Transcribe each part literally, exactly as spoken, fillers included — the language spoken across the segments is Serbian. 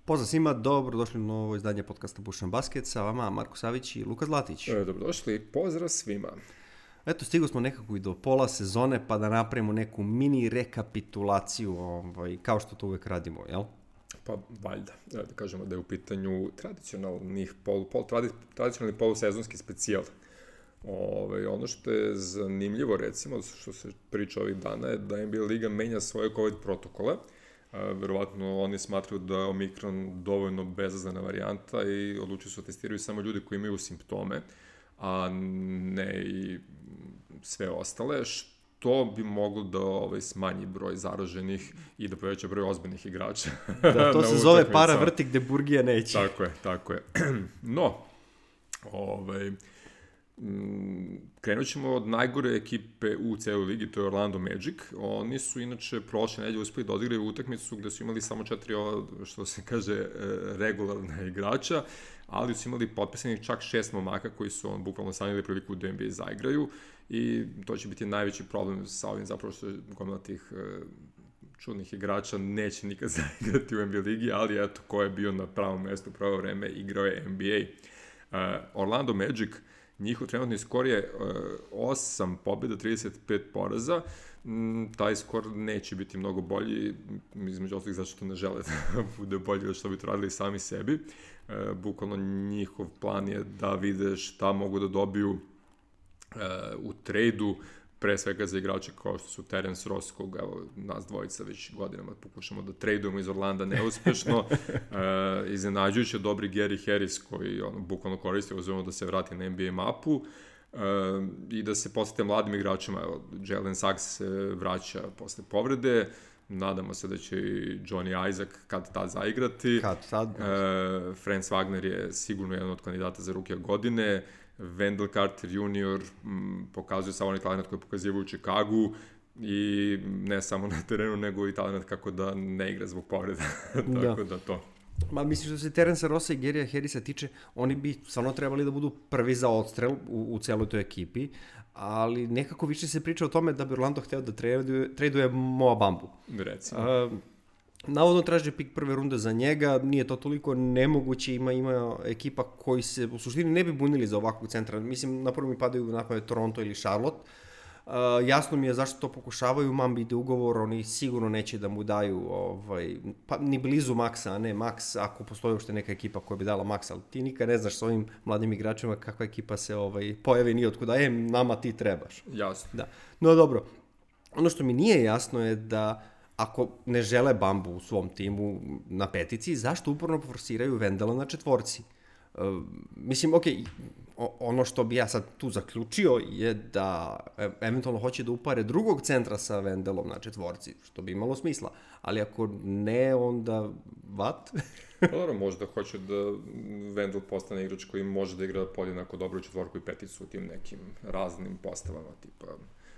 Pozdrav svima, dobrodošli u novo izdanje podcasta Pušan Basket, sa vama Marko Savić i Luka Zlatić. E, dobrodošli, pozdrav svima. Eto, stigli smo nekako i do pola sezone, pa da napravimo neku mini rekapitulaciju, ovaj, kao što to uvek radimo, jel? Pa, valjda, da kažemo da je u pitanju tradicionalnih polu, pol, tradi, tradicionalni polusezonski specijal. Ove, ono što je zanimljivo, recimo, što se priča ovih dana, je da N B A Liga menja svoje COVID protokole. E, verovatno oni smatruju da je Omikron dovoljno bezazlena varijanta i odlučuju se testiraju samo ljudi koji imaju simptome, a ne i sve ostale, što bi moglo da ovaj, smanji broj zaraženih i da poveća broj ozbiljnih igrača. Da, to se zove para vrti gde burgija neće. Tako je, tako je. No, ovaj, krenut ćemo od najgore ekipe u celoj ligi, to je Orlando Magic. Oni su inače prošle nedelje uspeli da odigraju utakmicu gde su imali samo četiri, što se kaže, regularna igrača, ali su imali potpisanih čak šest momaka koji su on bukvalno sanjali priliku da N B A zaigraju i to će biti najveći problem sa ovim, zapravo što gomila tih čudnih igrača neće nikad zaigrati u N B A ligi, ali eto, ko je bio na pravom mestu u pravo vreme, igrao je N B A. Uh, Orlando Magic, njihov trenutni skor je uh, osam pobjeda, trideset pet poraza. Mm, taj skor neće biti mnogo bolji, između ostalih zato što ne žele da bude bolji od što bi to radili sami sebi. Uh, bukvalno njihov plan je da vide šta mogu da dobiju uh, u trejdu, pre svega za igrače kao što su Terence Ross, koga evo, nas dvojica već godinama pokušamo da trejdujemo iz Orlanda neuspešno. E, iznenađujuće dobri Gary Harris koji ono, bukvalno koristi uzmano da se vrati na N B A mapu e, i da se posete mladim igračima. Evo, Jalen Suggs se vraća posle povrede, nadamo se da će i Johnny Isaac kad tad zaigrati. Kad tad? E, Franz Wagner je sigurno jedan od kandidata za rukija godine. Wendell Carter junior m, pokazuje samo onaj talent koji je pokazivao u Chicagu i ne samo na terenu, nego i talent kako da ne igra zbog povreda. Tako da. da to. Ma mislim što se Terence Rossa i Gary'a Harrisa tiče, oni bi stvarno trebali da budu prvi za odstrel u, u celoj toj ekipi, ali nekako više se priča o tome da bi Orlando hteo da traduje, traduje Moa Bambu. Recimo. Uh, Navodno traži pik prve runde za njega, nije to toliko nemoguće, ima ima ekipa koji se u suštini ne bi bunili za ovakvog centra. Mislim, na prvo mi padaju na pamet Toronto ili Charlotte. Uh, jasno mi je zašto to pokušavaju, Mambi ide ugovor, oni sigurno neće da mu daju ovaj, pa, ni blizu maksa, a ne maks, ako postoji uopšte neka ekipa koja bi dala maks, ali ti nikad ne znaš s ovim mladim igračima kakva ekipa se ovaj, pojavi ni otkuda, e, nama ti trebaš. Jasno. Da. No dobro, ono što mi nije jasno je da ako ne žele Bambu u svom timu na petici, zašto uporno forsiraju Vendela na četvorci? Uh, mislim, ok, ono što bi ja sad tu zaključio je da eventualno hoće da upare drugog centra sa Vendelom na četvorci, što bi imalo smisla. Ali ako ne, onda what? Dobro, možda hoće da Vendel postane igrač koji može da igra podjednako dobro četvorku i peticu u tim nekim raznim postavama, tipa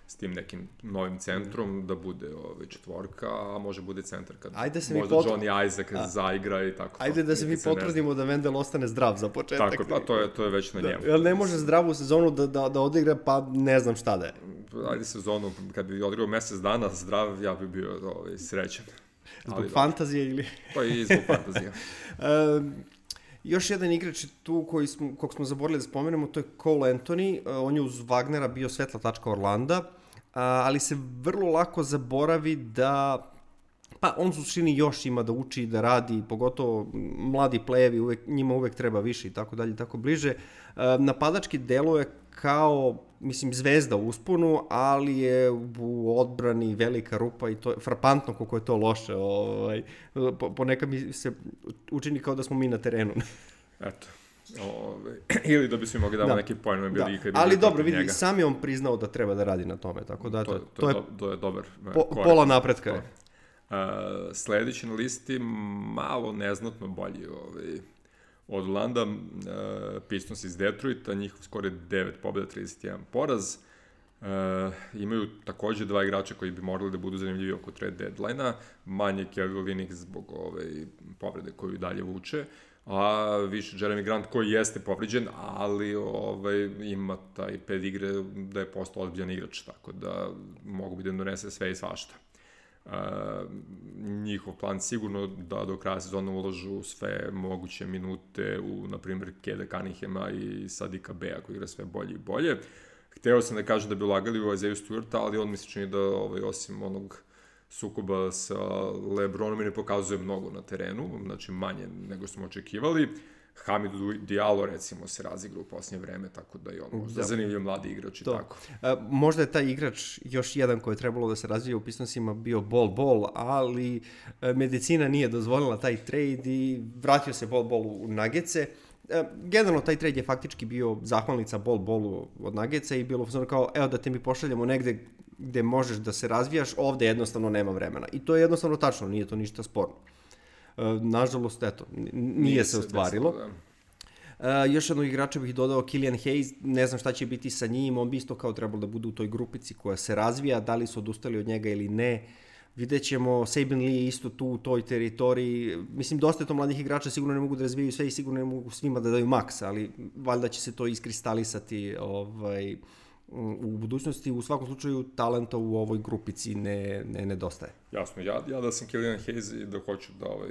s tim nekim novim centrom, da bude ovaj, četvorka, a može bude centar kad možda pot... Johnny Isaac a, zaigra i tako. Ajde da se mi potrudimo da Vendel ostane zdrav za početak. Tako, pa to je, to je već na njemu. Da, jer ne može zdravu sezonu da, da, da odigra, pa ne znam šta da je. Ajde sezonu, kad bi odigrao mesec dana zdrav, ja bi bio ovaj, srećan. Zbog ali, fantazije ili... Pa i zbog fantazije. um, Još jedan igrač tu koji smo, kog smo zaboravili da spomenemo, to je Cole Anthony. On je uz Wagnera bio svetla tačka Orlanda, ali se vrlo lako zaboravi da pa on u suštini još ima da uči, da radi, pogotovo mladi plejevi, uvek, njima uvek treba više i tako dalje, tako bliže. Napadački deluje kao, mislim, zvezda u usponu, ali je u odbrani velika rupa i to je frapantno koliko je to loše. Ovaj, ponekad mi se učini kao da smo mi na terenu. Eto. Ove, ili da bi svi mogli damo da. neki pojene da. bili. Ali dobro, vidi, sam je on priznao da treba da radi na tome, tako da to, to, to, je, do, to je dobar po, pola napretka je. Uh, sledeći na listi malo neznatno bolji ovaj, od Orlanda, uh, Pistons iz Detroita, njihov skor je devet pobjeda, trideset jedan poraz. Uh, imaju takođe dva igrača koji bi morali da budu zanimljivi oko trade deadline-a, manje Kelvin Olynyk zbog ove povrede koju dalje vuče, a više Jeremy Grant koji jeste povređen, ali ovaj, ima taj ped igre da je postao ozbiljan igrač, tako da mogu bi da donese sve i svašta. Uh, njihov plan sigurno da do kraja sezona uložu sve moguće minute u, na primjer, Keda Cunninghama i Sadika Bea koji igra sve bolje i bolje. Hteo sam da kažem da bi ulagali u Isaiah Stewarta, ali on mi se čini da ovaj, osim onog sukoba sa LeBronom i ne pokazuje mnogo na terenu, znači manje nego smo očekivali. Hamidou Diallo, recimo, se razigra u posljednje vreme, tako da je on možda da. zanimljiv mladi igrač i to. Tako. A, možda je taj igrač još jedan koji je trebalo da se razvije u Pistonsima bio Bol Bol, ali a, medicina nije dozvolila taj trade i vratio se Bol Bol u Nuggetse. A, generalno, taj trade je faktički bio zahvalnica Bol Bolu od Nuggetsa i bilo kao, evo da te mi pošaljamo negde gde možeš da se razvijaš, ovde jednostavno nema vremena. I to je jednostavno tačno, nije to ništa sporno. Nažalost, eto, nije, nije se ostvarilo. Desilo, da. Uh, još jednog igrača bih dodao, Killian Hayes, ne znam šta će biti sa njim, on bi isto kao trebalo da bude u toj grupici koja se razvija, da li su odustali od njega ili ne. Vidjet ćemo, Saben Lee je isto tu u toj teritoriji, mislim, dosta je to mladih igrača, sigurno ne mogu da razvijaju sve i sigurno ne mogu svima da daju maks, ali valjda će se to iskristalisati ovaj, u budućnosti. U svakom slučaju talenta u ovoj grupici ne, ne nedostaje. Jasno, ja, ja da sam Killian Hayes i da hoću da ovaj,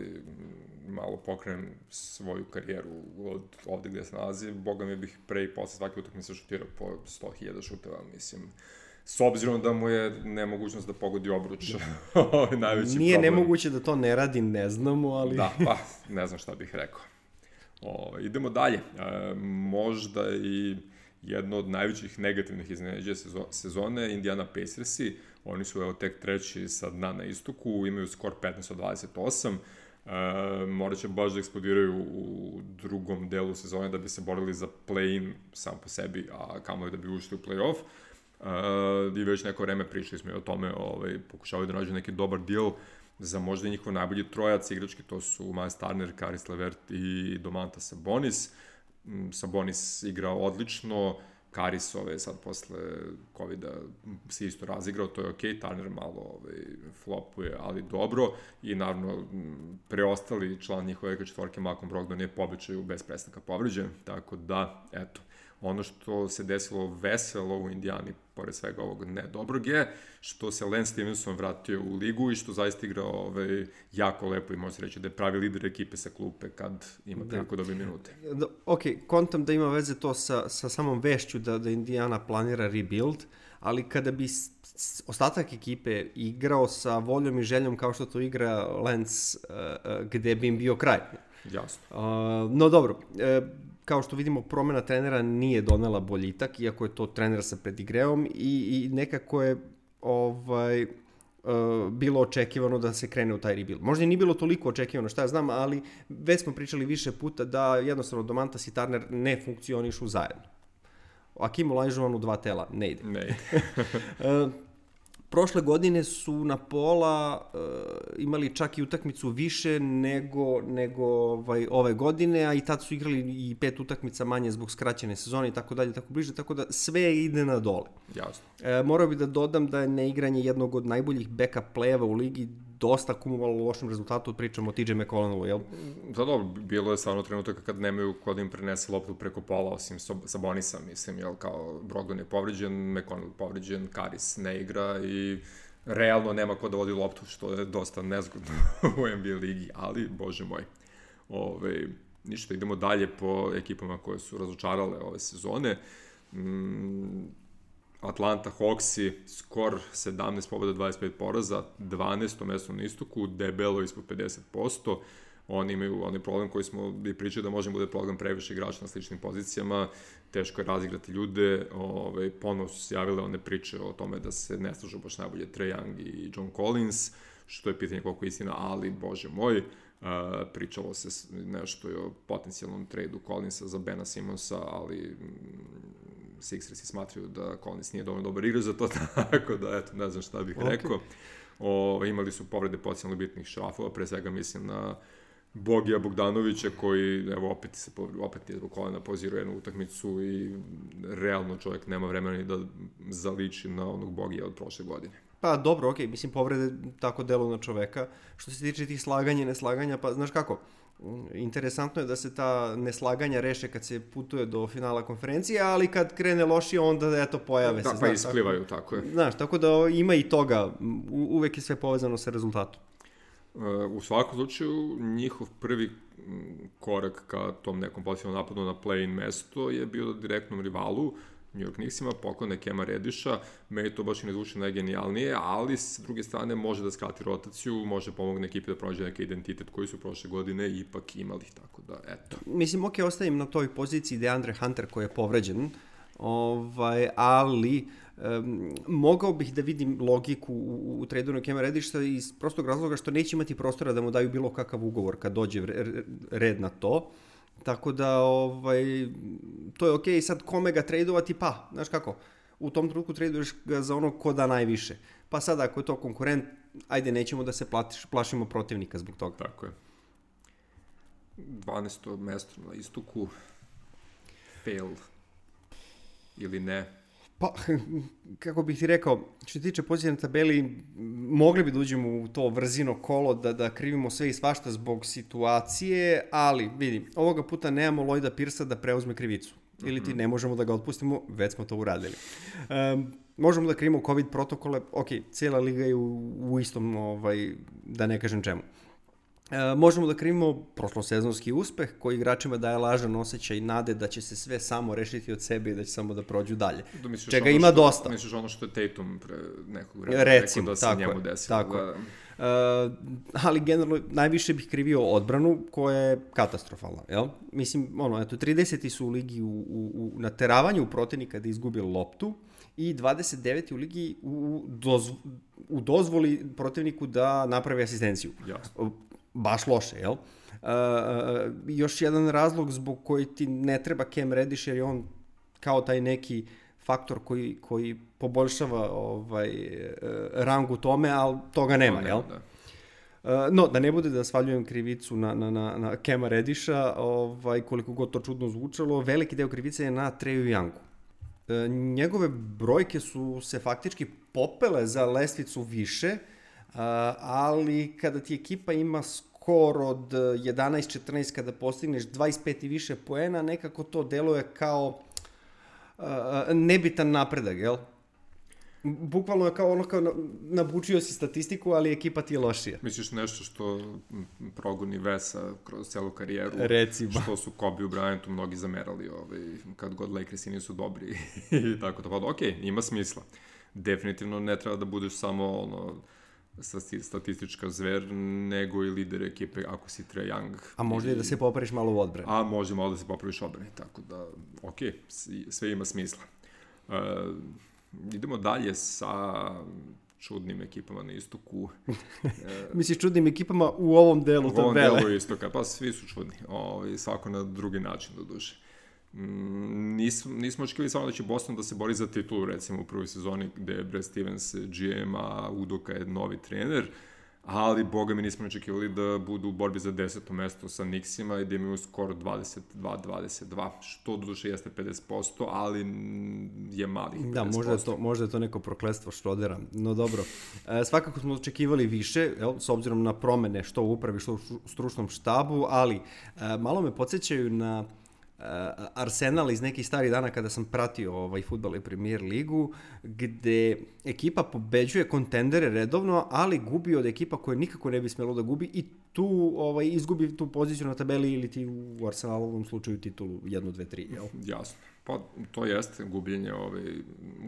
malo pokrenem svoju karijeru od ovde gde se nalazi, boga mi bih pre i posle svake utakmice šutirao po sto hiljada šuteva, mislim. S obzirom da mu je nemogućnost da pogodi obruč, ovo je najveći Nije problem. nemoguće da to ne radi, ne znamo, ali... Da, pa, ne znam šta bih rekao. O, idemo dalje. E, možda i jedno od najvećih negativnih iznenađenja sezone, Indiana Pacersi. Oni su evo tek treći sa dna na istoku, imaju skor petnaest od dvadeset osam. E, morat će baš da eksplodiraju u drugom delu sezone da bi se borili za play-in sam po sebi, a kamoli da bi ušli u play-off. Uh, i već neko vreme pričali smo i o tome, ovaj, pokušavaju da nađu neki dobar deal za možda njihov najbolji trojac igrački, to su Miles Turner, Caris LeVert i Domantas Sabonis. Sabonis igrao odlično, Caris ove sad posle covida se isto razigrao, to je okej, Turner malo ovaj, flopuje, ali dobro, i naravno preostali član njihove četvorke, Malcolm Brogdon, je po običaju bez prestanka povređen, tako da, eto, ono što se desilo veselo u Indijani, pored svega ovog ne dobrog, je što se Lance Stevenson vratio u ligu i što zaista igra ovaj, jako lepo i može se reći da je pravi lider ekipe sa klupe kad ima priliku da dobije minute. Da, ok, kontam da ima veze to sa, sa samom vešću da, da Indijana planira rebuild, ali kada bi ostatak ekipe igrao sa voljom i željom kao što to igra Lance, uh, uh, gde bi im bio kraj. Jasno. Uh, no dobro, uh, kao što vidimo, promena trenera nije donela boljitak, iako je to trener sa pedigreom i, i nekako je ovaj, uh, bilo očekivano da se krene u taj rebuild. Možda i nije bilo toliko očekivano, šta ja znam, ali već smo pričali više puta da jednostavno Domantas i Turner ne funkcionišu zajedno. Akim Olajuwon u dva tela ne ide. Ne ide. uh, Prošle godine su na pola uh, imali čak i utakmicu više nego, nego ovaj, ove godine, a i tad su igrali i pet utakmica manje zbog skraćene sezone i tako dalje, tako bliže, tako da sve ide na dole. Jasno. E, morao bih da dodam da je neigranje jednog od najboljih backup play-eva u ligi dosta kumulovalo u lošem rezultatu, pričamo o T J McConnellu, jel? Da, dobro, bilo je stvarno trenutak kad nemaju ko da im prenese loptu preko pola, osim Sabonisa, mislim, jel, kao Brogdon je povređen, McConnell povređen, Caris ne igra i realno nema ko da vodi loptu, što je dosta nezgodno u N B A ligi, ali, bože moj, ove, ništa, idemo dalje po ekipama koje su razočarale ove sezone. Mm, Atlanta Hawksi, skor sedamnaest pobjeda, dvadeset pet poraza, dvanaesto mesto na istoku, debelo ispod pedeset posto. Oni imaju onaj problem koji smo bi pričali da može bude problem previše igrača na sličnim pozicijama, teško je razigrati ljude, ovaj, ponovno su se javile one priče o tome da se ne slažu baš najbolje Trae Young i John Collins, što je pitanje koliko je istina, ali bože moj, uh, pričalo se nešto o potencijalnom tradu Collinsa za Bena Simonsa, ali Sixersi smatraju da Collins nije dovoljno dobar igrač za to, tako da, eto, ne znam šta bih okay. rekao. O, imali su povrede potencijalno bitnih šrafova, pre svega mislim na Bogija Bogdanovića, koji, evo, opet, se, opet je zbog kolena pozirao jednu utakmicu i realno čovjek nema vremena ni da zaliči na onog Bogija od prošle godine. Pa dobro, okej, okay, mislim povrede tako delu na čoveka. Što se tiče tih slaganja i neslaganja, pa znaš kako, interesantno je da se ta neslaganja reše kad se putuje do finala konferencije, ali kad krene lošije, onda eto pojave da, se. Da, pa isplivaju, tako, tako je. Znaš, tako da ima i toga, u, uvek je sve povezano sa rezultatom. U svakom slučaju, njihov prvi korak ka tom nekom pozitivnom napadu na play-in mesto je bio direktnom rivalu, New York Knicksima, poklone Kema Rediša, meni to baš i ne zvuči najgenijalnije, ali s druge strane može da skrati rotaciju, može pomogne ekipi da pronađe neki identitet koji su prošle godine ipak imali, tako da, eto. Mislim, ok, ostavim na toj poziciji DeAndre Hunter koji je povređen, ovaj, ali um, mogao bih da vidim logiku u, u trejdu Kema Rediša iz prostog razloga što neće imati prostora da mu daju bilo kakav ugovor kad dođe red na to. Tako da, ovaj, to je okej, okay. Sad kome ga trejdovati, pa, znaš kako, u tom trenutku trejduješ ga za ono ko da najviše. Pa sad ako je to konkurent, ajde, nećemo da se platiš, plašimo protivnika zbog toga. Tako je. dvanaesto mesto na istoku, fail ili ne? Pa, kako bih ti rekao, što se tiče pozicije na tabeli, mogli bi da uđemo u to vrzino kolo, da, da krivimo sve i svašta zbog situacije, ali vidi, ovoga puta nemamo Lloyda Pierce-a da preuzme krivicu. Ili ti ne možemo da ga otpustimo, već smo to uradili. Um, možemo da krivimo COVID protokole, ok, cijela liga je u, u istom, ovaj, da ne kažem čemu. E, možemo da krivimo prošlosezonski uspeh koji igračima daje lažan osjećaj nade da će se sve samo rešiti od sebe i da će samo da prođu dalje. Da misliš čega ima što, dosta. Misliš ono što je Tatum pre nekog vremena recimo, rekao da se tako njemu je, desilo. Tako da... Uh, ali generalno najviše bih krivio odbranu koja je katastrofalna, jel? Mislim, ono, eto, trideseti su u ligi u, u, u nateravanju protivnika da izgubi loptu i dvadeset deveti u ligi u, dozv, u dozvoli protivniku da napravi asistenciju. Jasno. Baš loše, jel? Uh, još jedan razlog zbog koji ti ne treba Cam Reddish, jer je on kao taj neki faktor koji, koji poboljšava ovaj, rang u tome, ali toga nema, jel? Da. No, da ne bude da svaljujem krivicu na, na, na, na Cama Reddiša, ovaj, koliko god to čudno zvučalo, veliki deo krivice je na Treju Youngu. Njegove brojke su se faktički popele za lestvicu više, ali kada ti ekipa ima skor od jedanaest četrnaest, kada postigneš dvadeset pet i više poena, nekako to deluje kao uh, nebitan napredak, jel? Bukvalno je kao ono kao nabučio si statistiku, ali ekipa ti je lošija. Misliš nešto što progoni Vesa kroz celu karijeru? Recimo. Što su Kobe u Bryantu mnogi zamerali ovaj, kad god Lakersi nisu dobri i tako to. Pa ok, ima smisla. Definitivno ne treba da budeš samo ono statistička zver, nego i lider ekipe ako si Trae Young. A možda i da se popraviš malo u odbrani. A može malo da se popraviš u odbrani, tako da, ok, sve ima smisla. Uh, idemo dalje sa čudnim ekipama na istoku. Misliš čudnim ekipama u ovom delu tabele? U ovom delu istoka, pa svi su čudni, o, svako na drugi način do duše. Mm, nismo, nismo očekivali samo da će Boston da se bori za titulu, recimo u prvoj sezoni gde je Brad Stevens G M, a Udoka je novi trener, ali boga mi nismo očekivali da budu u borbi za deseto mesto sa Knicksima i da imaju skor dvadeset dva dvadeset dva, što do duše jeste pedeset posto, ali je mali pedeset posto. Da, možda je to, možda je to neko prokletstvo Šrodera, no dobro. E, svakako smo očekivali više, jel, s obzirom na promene što u upravi, što u stručnom štabu, ali e, malo me podsjećaju na Arsenal iz nekih starih dana kada sam pratio ovaj fudbal i Premier ligu, gde ekipa pobeđuje kontendere redovno, ali gubi od ekipa koje nikako ne bi smelo da gubi i tu ovaj, izgubi tu poziciju na tabeli ili ti u Arsenalovom slučaju titulu jedan, dva, tri, jel? Jasno. Pa to jeste gubljenje ovaj,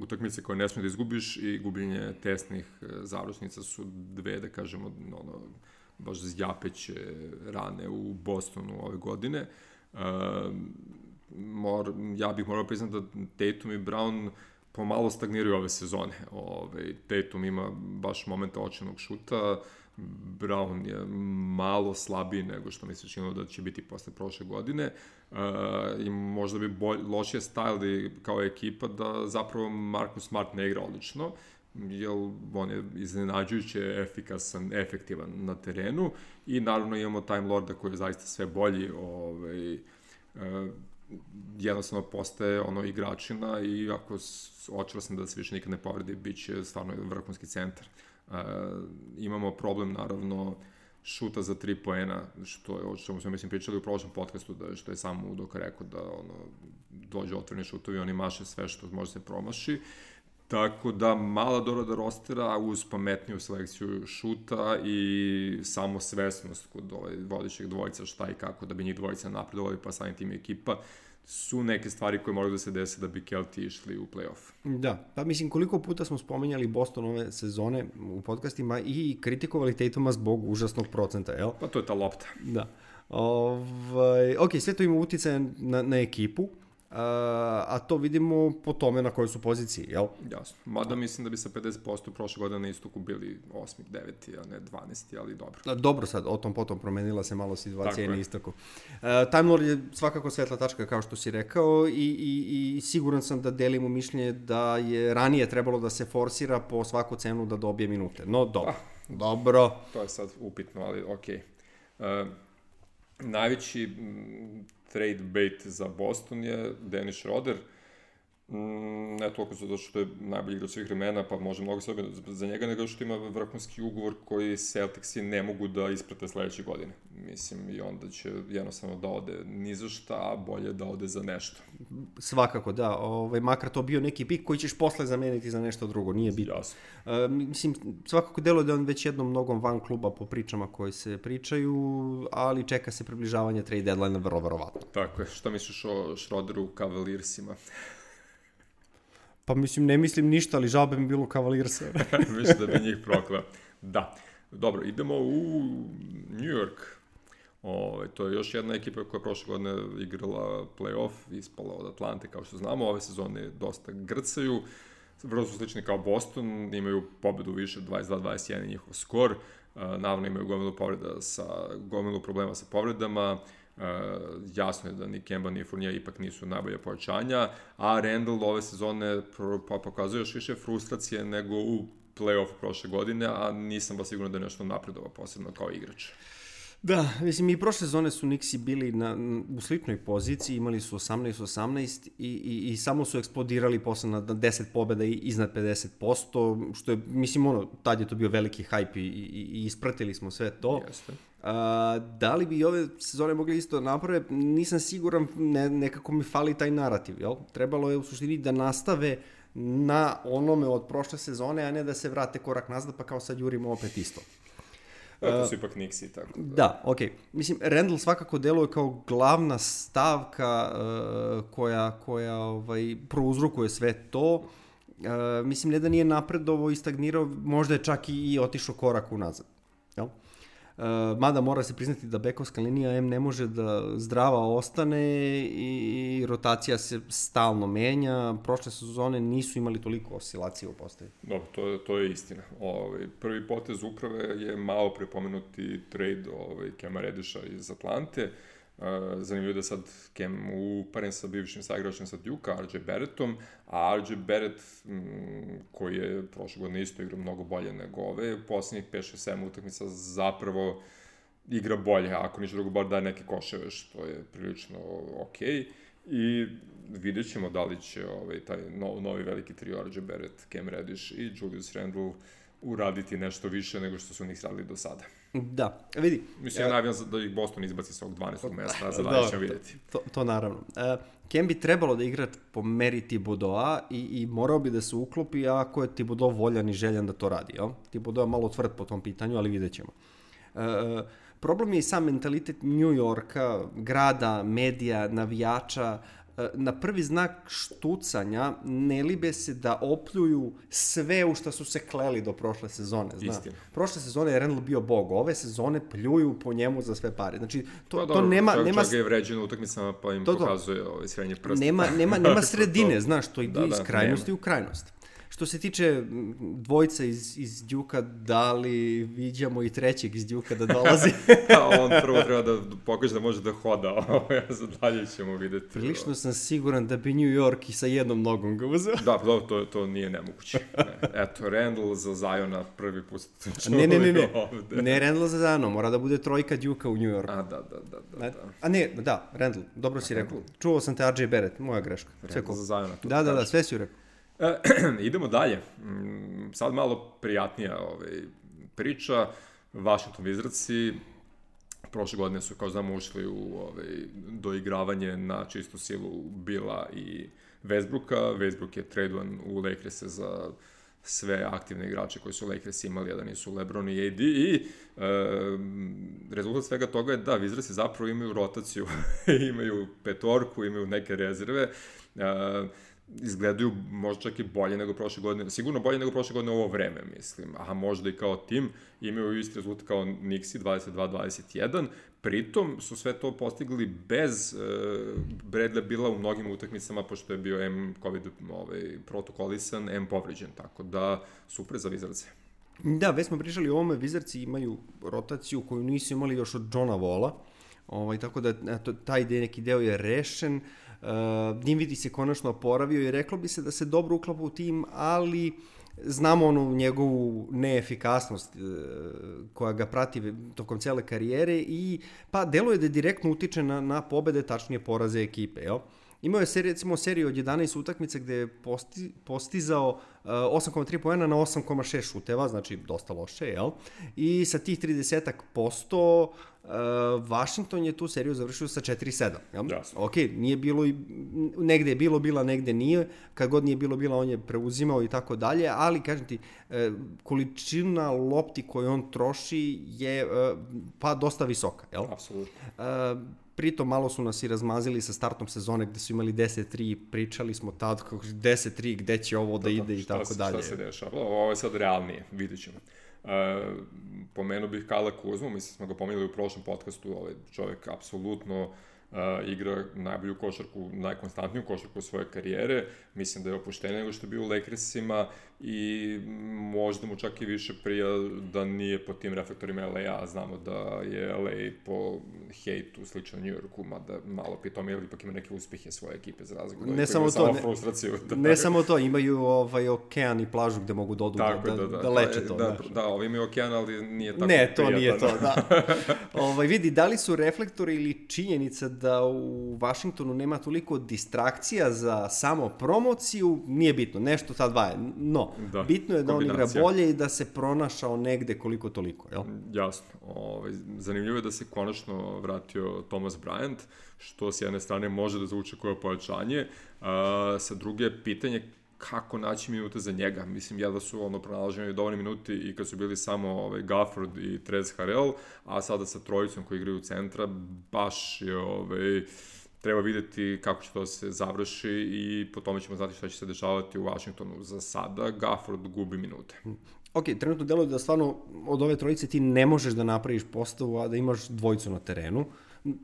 utakmice koje ne smije da izgubiš i gubljenje tesnih završnica su dve, da kažemo, ono, baš zjapeće rane u Bostonu ove godine. Uh, mor, ja bih morao priznati da Tatum i Brown pomalo stagniraju ove sezone. Ove, Tatum ima baš momenta očenog šuta, Brown je malo slabiji nego što mi se činilo da će biti posle prošle godine uh, i možda bi bolj, lošije stajali kao ekipa da zapravo Marcus Smart ne igra odlično, jer on je iznenađujuće efikasan, efektivan na terenu i naravno imamo Time Lorda koji je zaista sve bolji. Ovaj, uh, jednostavno postaje ono igračina i ako očela sam da se više nikad ne povredi, bit će stvarno vrhunski centar. Uh, imamo problem, naravno, šuta za tri poena, što je, o čemu smo mislim pričali u prošlom podcastu, da, što je samo Udoka rekao da ono, dođe otvoreni šutovi, oni maše sve što može se promaši. Tako da, mala dorada rostera uz pametniju selekciju šuta i samo svesnost kod ovaj vodećeg dvojica šta i kako da bi njih dvojica napredovali, pa samim tim ekipa, su neke stvari koje moraju da se dese da bi Kelti išli u play-off. Da, pa mislim koliko puta smo spomenjali Boston ove sezone u podcastima i kritikovali Tatuma zbog užasnog procenta, jel? Pa to je ta lopta. Da. Ovaj, ok, sve to ima uticaja na, na ekipu, a, a to vidimo po tome na kojoj su poziciji, jel? Jasno. Mada mislim da bi sa pedeset posto prošle godine na istoku bili osmi, deveti, a ne dvanesti, ali dobro. A, dobro sad, o tom potom promenila se malo situacija na istoku. Uh, Time Lord je svakako svetla tačka, kao što si rekao, i, i, i siguran sam da delimo mišljenje da je ranije trebalo da se forsira po svaku cenu da dobije minute. No, dobro. Ah, dobro. To je sad upitno, ali okej. Okay. Uh, najveći m, trade bait za Boston je Dennis Schroeder. Mm, ne toliko zato što je najbolji igrač svih vremena, pa može mnogo sve za njega, nego što ima vrhunski ugovor koji Celticsi ne mogu da isprate sledeće godine. Mislim, i onda će jednostavno da ode ni za šta, a bolje da ode za nešto. Svakako, da. Ovaj, makar to bio neki pik koji ćeš posle zameniti za nešto drugo, nije bitno. Jasno. Uh, mislim, svakako deluje da on već jednom mnogom van kluba po pričama koji se pričaju, ali čeka se približavanje trade deadline vrlo verovatno. Tako je. Šta misliš o Schroederu Cavaliersima? Pa mislim, ne mislim ništa, ali žal bi mi bilo Cavaliersa. Mislim da bi njih proklao. Da. Dobro, idemo u New York. Ove, to je još jedna ekipa koja je prošle godine igrala play-off, ispala od Atlante, kao što znamo. Ove sezone dosta grcaju. Vrlo su slični kao Boston, imaju pobedu više dvadeset dva dvadeset jedan njihov skor. Naravno imaju gomilu povreda sa, gomilu problema sa povredama. Uh, jasno je da ni Kemba ni Fournier ipak nisu najbolje pojačanja, a Randall ove sezone pa pokazuje još više frustracije nego u play-offu prošle godine, a nisam baš sigurno da je nešto napredovao posebno kao igrač. Da, mislim i prošle sezone su Knicksi bili na, u sličnoj poziciji, imali su osamnaest osamnaest i, i, i samo su eksplodirali posle na deset pobjeda i iznad pedeset posto, što je, mislim, ono, tad je to bio veliki hype i, i, i ispratili smo sve to. Jeste. A, da li bi ove sezone mogli isto naprave, nisam siguran, ne, nekako mi fali taj narativ, jel? Trebalo je u suštini da nastave na onome od prošle sezone, a ne da se vrate korak nazad, pa kao sad jurimo opet isto. To su ipak Knicksi, tako da. Da, okej. Okay. Mislim, Randall svakako deluje kao glavna stavka uh, koja, koja ovaj, prouzrokuje sve to. Uh, mislim, ne da nije napredovo i stagnirao, možda je čak i, i otišao korak unazad. Jel? Uh, mada mora se priznati da bekovska linija M ne može da zdrava ostane i, i rotacija se stalno menja. Prošle sezone nisu imali toliko oscilacije u postavi. Dobro, to je, to je istina. Ovaj, prvi potez uprave je malo prepomenuti trade ovaj, Kema Rediša iz Atlante. Uh, zanimljivo da sad Kem uparen sa bivšim saigračem sa Duke-a, R J Barrettom, a R J Barrett, m, koji je prošle godine isto igrao mnogo bolje nego ove, u poslednjih pet šest sedam utakmica zapravo igra bolje, ako ništa drugo bar daje neke koševe, što je prilično okej. I vidjet ćemo da li će ovaj, taj no, novi veliki trio R J Barrett, Cam Reddish i Julius Randle uraditi nešto više nego što su njih radili do sada. Da, vidi. Mislim, ja navijam da ih Boston izbaci sa ovog dvanaestog mesta, za dalje ćemo vidjeti. To, to naravno. Uh, Kem bi trebalo da igra po meri Thibodeau-a i, i morao bi da se uklopi ako je Thibodeau voljan i željan da to radi. Jel? Thibodeau je malo tvrd po tom pitanju, ali vidjet ćemo. Uh, problem je i sam mentalitet New Yorka, grada, medija, navijača. Na prvi znak štucanja ne libe se da opljuju sve u što su se kleli do prošle sezone. Zna. Istina. Prošle sezone je Randle bio bog, ove sezone pljuju po njemu za sve pare. Znači, to, pa, to dobro, nema... čak, nema... čak je vređen u utakmicama pa im to, pokazuje ovaj srednje prste. Nema, nema, nema sredine, to... znaš, to ide da, iz da, krajnosti nema. u krajnost. Što se tiče dvojca iz, iz Duke-a, da li viđamo i trećeg iz Duke-a da dolazi? On prvo treba da pokaže da može da hoda, a za dalje ćemo videti. Prilično sam siguran da bi New York i sa jednom nogom ga uzeo. Da, dobro, to, to nije nemoguće. Ne. Eto, Randall za Ziona prvi put. Ne, ne, ne, ne. Ne Randall za Ziona, mora da bude trojka Duke-a u New Yorku. A, da, da, da. da, da. A ne, da, Randall, dobro si rekao. Čuo sam te R J Barrett, moja greška. Randall za Ziona. Da, da, da, sve si rekao. E, idemo dalje. Sad malo prijatnija ovaj, priča. Washington Wizardsi prošle godine su, kao znamo, ušli u ovaj, doigravanje na čistu silu Billa i Westbrooka. Westbrook je tradovan u Lakers za sve aktivne igrače koji su Lakers imali, a da nisu LeBron i A D. I e, rezultat svega toga je da Wizardsi zapravo imaju rotaciju. Imaju petorku, imaju neke rezerve. E, izgledaju možda čak i bolje nego prošle godine, sigurno bolje nego prošle godine u ovo vreme, mislim, a možda i kao tim imaju isti rezultat kao Knicksi dvadeset dva dvadeset jedan, pritom su sve to postigli bez uh, Bradley Billa u mnogim utakmicama, pošto je bio M COVID ovaj, protokolisan, M povređen, tako da super za Wizardse. Da, već smo pričali o ovome, Wizardsi imaju rotaciju koju nisu imali još od Johna Walla, ovaj, tako da eto, taj neki deo je rešen. Uh, Dinwiddie se konačno oporavio i reklo bi se da se dobro uklapa u tim, ali znamo onu njegovu neefikasnost uh, koja ga prati tokom cele karijere i pa deluje da direktno utiče na, na pobede, tačnije poraze ekipe, jel? Imao je seri, recimo seriju od jedanaest utakmica gde je posti, postizao uh, osam zarez tri poena na osam zarez šest šuteva, znači dosta loše, jel? I sa tih trideset posto uh, Washington je tu seriju završio sa četiri sedam, jel? Jasno. Ok, nije bilo, negde je bilo bila, negde nije, kad god nije bilo bila on je preuzimao i tako dalje, ali kažem ti, uh, količina lopti koju on troši je uh, pa dosta visoka, jel? Apsolutno. Uh, Pritom malo su nas i razmazili sa startom sezone gde su imali deset tri, pričali smo tad kako deset tri, gde će ovo da, da ide i tako se, dalje. Šta se dešava? Ovo je sad realnije, vidit ćemo. Uh, pomenuo bih Kala Kuzmu, mislim smo ga pomenuli u prošlom podcastu, ovaj čovjek apsolutno uh, igra najbolju košarku, najkonstantniju košarku svoje karijere, mislim da je opušteniji nego što je bio u Lakersima i možda mu čak i više prija da nije po tim reflektorima L A, a znamo da je L A po hejtu slično New Yorku, mada malo pitom je ipak ima neke uspehe svoje ekipe za razliku. Ne samo to, samo ne, frustraciju, da, ne samo to, imaju ovaj okean i plažu gde mogu da odu da, da, da, da, da leče to. Da, da, da, ovi imaju okean, ali nije tako ne, to prijatan. nije to, da. ovaj, vidi, da li su reflektori ili činjenica da u Washingtonu nema toliko distrakcija za samo promociju, nije bitno, nešto ta dva je, no, da, bitno je da on igra bolje i da se pronašao negde koliko toliko, jel? Jasno. Ovaj, zanimljivo je da se konačno vratio Thomas Bryant, što s jedne strane može da zvuči koje pojačanje, a sa druge pitanje kako naći minute za njega. Mislim, jedva su ono pronalaženi dovoljni minuti i kad su bili samo ovaj, Gafford i Trez Harrell, a sada sa trojicom koji igraju u centra, baš je ovaj, treba videti kako će to se završi i po tome ćemo znati šta će se dešavati u Washingtonu. Za sada Gafford gubi minute. Ok, trenutno deluje da stvarno od ove trojice ti ne možeš da napraviš postavu, a da imaš dvojicu na terenu.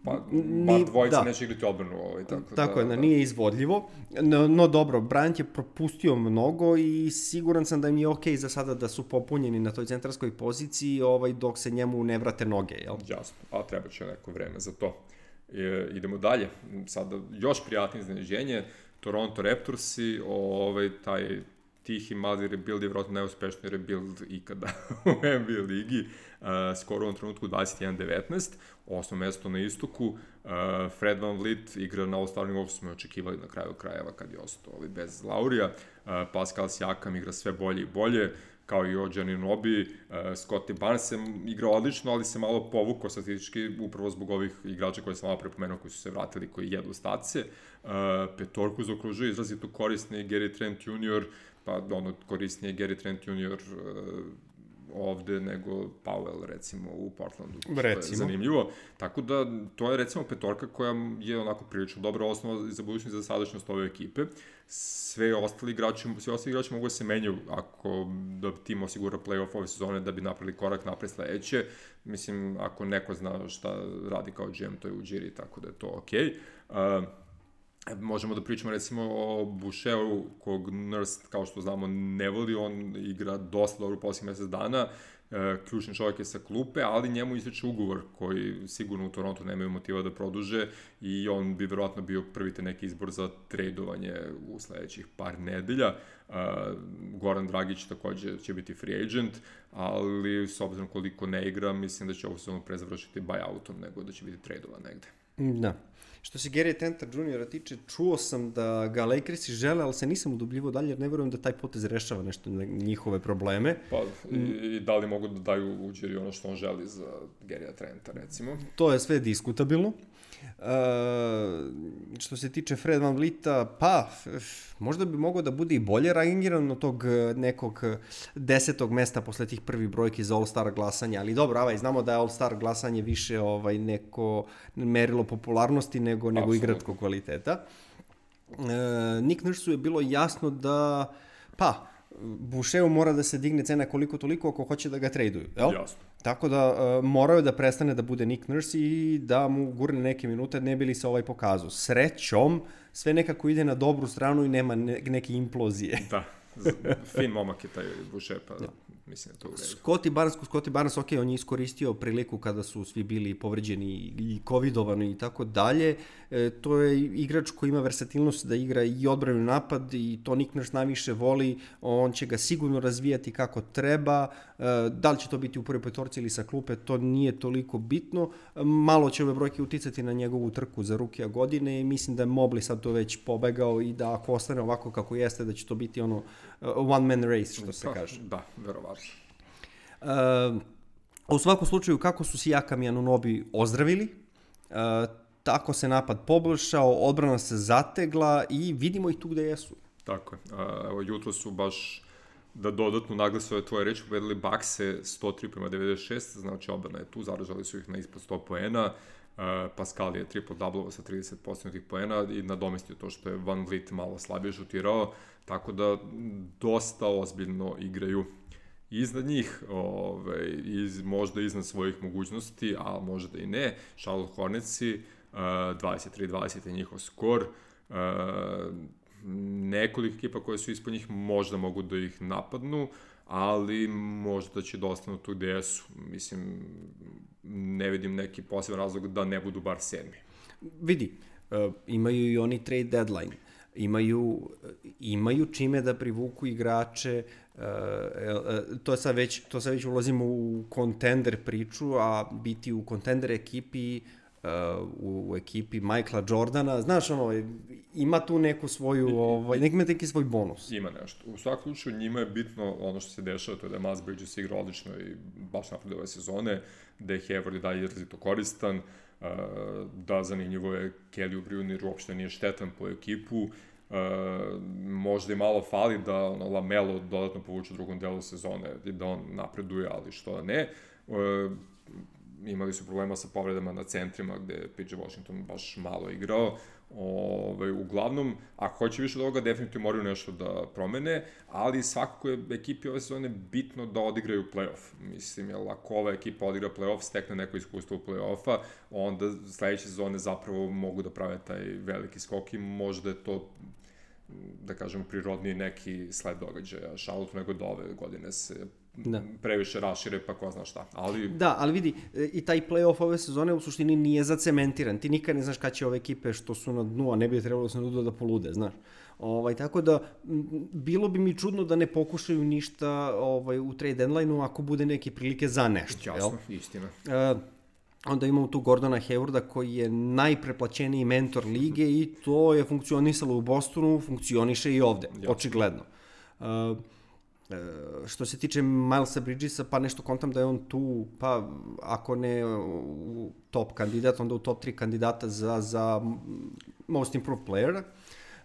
Pa, bar dvojica da. Neće igrati odbranu ovaj, tako, tako da, je, da, da. Nije izvodljivo. No, no dobro, Bryant je propustio mnogo i siguran sam da im je ok za sada da su popunjeni na toj centarskoj poziciji ovaj, dok se njemu ne vrate noge, jel? Jasno, a treba će neko vreme za to. E, idemo dalje, sada još prijatnije iznenađenje, Toronto Raptorsi, ovaj, taj tihi mali rebuild je vjerojatno najuspešniji rebuild ikada u N B A ligi, uh, skoro u ovom trenutku dvadeset jedan devetnaest, osmo mesto na istoku, uh, Fred VanVleet igra na all-star nivou, smo očekivali na kraju krajeva kad je ostao ovaj, bez Laurija, uh, Pascal Siakam igra sve bolje i bolje, kao i O G Anunoby, uh, Scottie Barnes se igra odlično, ali se malo povukao statistički upravo zbog ovih igrača koje sam malo prepomenuo, koji su se vratili, koji jedu stacije. Uh, petorku zaokružuje izrazito korisni Gary Trent junior, pa ono korisnije Gary Trent junior uh, ovde nego Powell recimo u Portlandu. Recimo. Je zanimljivo. Tako da to je recimo petorka koja je onako prilično dobra osnova za budućnost i za sadašnjost ove ekipe. Sve ostali igrači, sve ostali igrači mogu da se menjaju ako da tim osigura play-off ove sezone da bi napravili korak napred sledeće. Mislim, ako neko zna šta radi kao G M, to je Ujiri, tako da je to okej. Okay. Uh, Možemo da pričamo recimo o Boucheru, kog Nurse, kao što znamo, ne voli, on igra dosta dobro u posljednjih mesec dana, e, ključni čovjek je sa klupe, ali njemu ističe ugovor koji sigurno u Torontu nemaju motiva da produže i on bi verovatno bio prvi te neki izbor za tradovanje u sledećih par nedelja. E, Goran Dragić takođe će biti free agent, ali s obzirom koliko ne igra, mislim da će ovo sezonu pre završiti buyoutom nego da će biti tradovan negde. Da. Što se Gary Trenta juniora tiče, čuo sam da ga Lakersi žele, ali se nisam udubljivo dalje, jer ne verujem da taj potez rešava nešto njihove probleme. Pa, i, i da li mogu da daju uđeri ono što on želi za Garyja Trenta, recimo? To je sve diskutabilno. Uh, što se tiče Fred VanVleeta, pa možda bi mogao da bude i bolje rangiran od tog nekog desetog mesta posle tih prvih brojki za All-Star glasanja, ali dobro, avaj, znamo da je All-Star glasanje više ovaj, neko merilo popularnosti nego, nego igračkog kvaliteta. Uh, Nick Nursu je bilo jasno da, pa, Boucheru mora da se digne cena koliko toliko ako hoće da ga traduju, jel? Jasno. Tako da uh, moraju da prestane da bude Nick Nurse i da mu gurne neke minute, ne bi li se ovaj pokazao. Srećom, sve nekako ide na dobru stranu i nema ne, neke implozije. Da, fin momak je taj Boucher, pa da. Mislim da to u redu. Scottie Barnes, Scottie Barnes, ok, on je iskoristio priliku kada su svi bili povređeni i covidovani i tako dalje. E, to je igrač koji ima versatilnost da igra i odbranu napad i to Nick Nurse najviše voli. On će ga sigurno razvijati kako treba. E, da li će to biti u prvoj petorci ili sa klupe, to nije toliko bitno. E, malo će ove brojke uticati na njegovu trku za rukija godine i mislim da je Mobley sad to već pobegao i da ako ostane ovako kako jeste, da će to biti ono one man race, što se kaže. Da, verovatno. Uh, u svakom slučaju, kako su Siakam i Anunoby ozdravili, uh, tako se napad poboljšao, odbrana se zategla i vidimo ih tu gde jesu. Tako je. Uh, evo, jutro su baš da dodatno naglase ove tvoje reči, pobedili Buckse sto tri prema devedeset šest, znači odbrana je tu, zaražali su ih na ispod sto poena, uh, Pascal je triple-double sa trideset posto tih poena i nadomestio to što je Van Vliet malo slabije šutirao, tako da dosta ozbiljno igraju iznad njih, ovaj, iz, možda iznad svojih mogućnosti, a možda i ne. Charlotte Hornetsi, uh, dvadeset tri dvadeset je njihov skor. Uh, nekoliko ekipa koje su ispod njih možda mogu da ih napadnu, ali možda će da ostanu tu gde su. Mislim, ne vidim neki poseban razlog da ne budu bar sedmi. Vidi, uh, imaju i oni trade deadline. Imaju, imaju čime da privuku igrače, uh, uh, to sad već, to sad već ulazimo u contender priču, a biti u contender ekipi, uh, u, u ekipi Michaela Jordana, znaš ono, ima tu neku svoju, ovaj, neki, neki svoj bonus. Ima nešto. U svakom slučaju njima je bitno ono što se dešava, to je da je Miles Bridges igra odlično i baš napred ove sezone, da je Hayward i dalje izrazito koristan, Uh, da zanimljivo je Kelly Oubre uopšte nije štetan po ekipu, uh, možda i malo fali da ono, Lamelo dodatno povuče u drugom delu sezone i da on napreduje, ali što ne. Uh, imali su problema sa povredama na centrima gde je P J Washington baš malo igrao. Ove, uglavnom, ako hoće više od ovoga, definitivno moraju nešto da promene, ali svakako je ekipi ove sezone bitno da odigraju play-off. Mislim, jer ako ova ekipa odigra play-off, stekne neko iskustvo u play-offa, onda sledeće sezone zapravo mogu da prave taj veliki skok i možda je to, da kažem, prirodniji neki sled događaja Charlotte nego da ove godine se da. previše rašire, pa ko zna šta. Ali... Da, ali vidi, i taj play-off ove sezone u suštini nije zacementiran. Ti nikad ne znaš kada će ove ekipe što su na dnu, a ne bi trebalo da se na dnu da polude, znaš. Ovaj, tako da, bilo bi mi čudno da ne pokušaju ništa ovaj, u trade deadline-u ako bude neke prilike za nešto. Jasno, jel? Istina. Uh, onda imamo tu Gordona Haywarda koji je najpreplaćeniji mentor lige i to je funkcionisalo u Bostonu, funkcioniše i ovde, jasno. Očigledno. Uh, E, što se tiče Milesa Bridgesa, pa nešto kontam da je on tu, pa ako ne u top kandidat, onda u top tri kandidata za, za most improved player.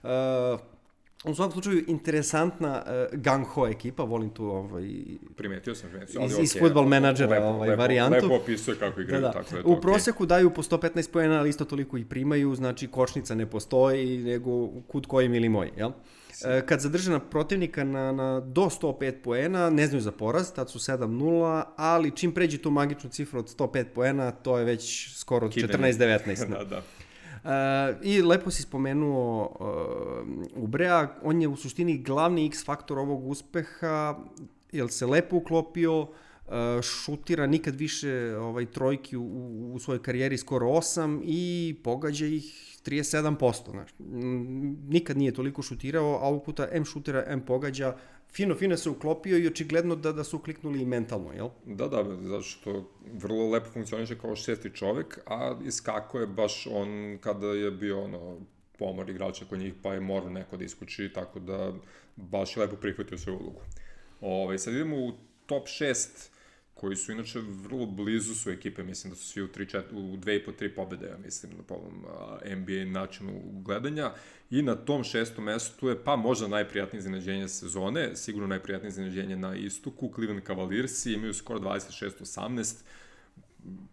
E, u svakom slučaju, interesantna uh, gung-ho ekipa, volim tu ovaj... Primetio sam, primetio iz, iz okay. Football menadžera lepo, ovaj, lepo, varijantu. Lepo opisuje kako igraju, da, da. tako da je U to proseku okay. daju po sto petnaest poena, ali isto toliko i primaju, znači kočnica ne postoji, nego kud koji mili moj, jel? Kad zadrže na protivnika na, na do sto pet poena, ne znaju za poraz, tad su sedam nula, ali čim pređe tu magičnu cifru od sto pet poena, to je već skoro četrnaest devetnaest. da, da. I lepo si spomenuo uh, Ubrea, on je u suštini glavni X faktor ovog uspeha, jer se lepo uklopio, uh, šutira nikad više ovaj, trojki u, u svojoj karijeri, skoro osam, i pogađa ih trideset sedam posto. Znači, nikad nije toliko šutirao, a ovog puta M šutira, M pogađa, fino, fino se uklopio i očigledno da, da su kliknuli i mentalno, jel? Da, da, zato što vrlo lepo funkcioniše kao šesti čovek, a iskako je baš on kada je bio ono, pomor igrača kod njih, pa je morao neko da iskuči, tako da baš je lepo prihvatio svoju ulogu. Ove, sad idemo u top šest, koji su inače vrlo blizu su ekipe, mislim da su svi u, tri, četiri, u dve i po tri pobede, ja mislim, po ovom N B A načinu gledanja. I na tom šestom mestu je pa možda najprijatnije iznenađenje sezone, sigurno najprijatnije iznenađenje na istoku. Cleveland Cavaliersi imaju skoro dvadeset šest osamnaest,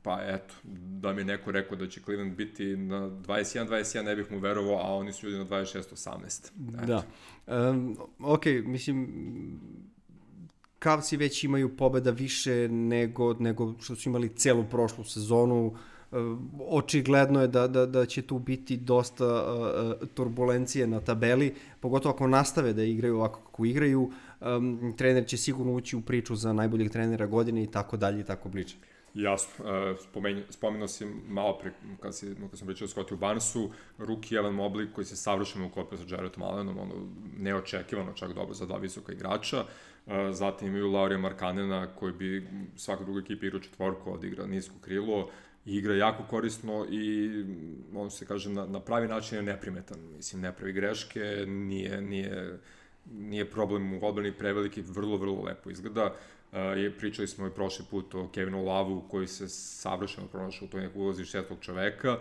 pa eto, da mi je neko rekao da će Cleveland biti na dvadeset jedan dvadeset jedan, ne bih mu verovao, a oni su ljudi na dvadeset šest osamnaest. Da. Um, ok, mislim, Cavsi već imaju pobeda više nego, nego što su imali celu prošlu sezonu. Očigledno je da, da, da će tu biti dosta uh, turbulencije na tabeli, pogotovo ako nastave da igraju ovako kako igraju. Um, trener će sigurno ući u priču za najboljeg trenera godine i tako dalje i tako bliže. Jasno, uh, spomenuo si malo pre, kad, si, kad sam pričao o Scottiju Barnesu, rookie Evan Mobley koji se savršeno uklopio sa Jaredom Allenom, ono, neočekivano čak dobro za dva visoka igrača. Uh, zatim imaju Laurija Markkanena koji bi svaka druga ekipa igrao četvorku, odigra nisko krilo, igra jako korisno i on se kaže na, na pravi način je neprimetan. Mislim, ne pravi greške, nije, nije, nije problem u odbrani preveliki, vrlo, vrlo lepo izgleda. Uh, je, pričali smo i prošli put o Kevinu Lovu koji se savršeno pronašao u toj nekoj ulozi šestog čoveka.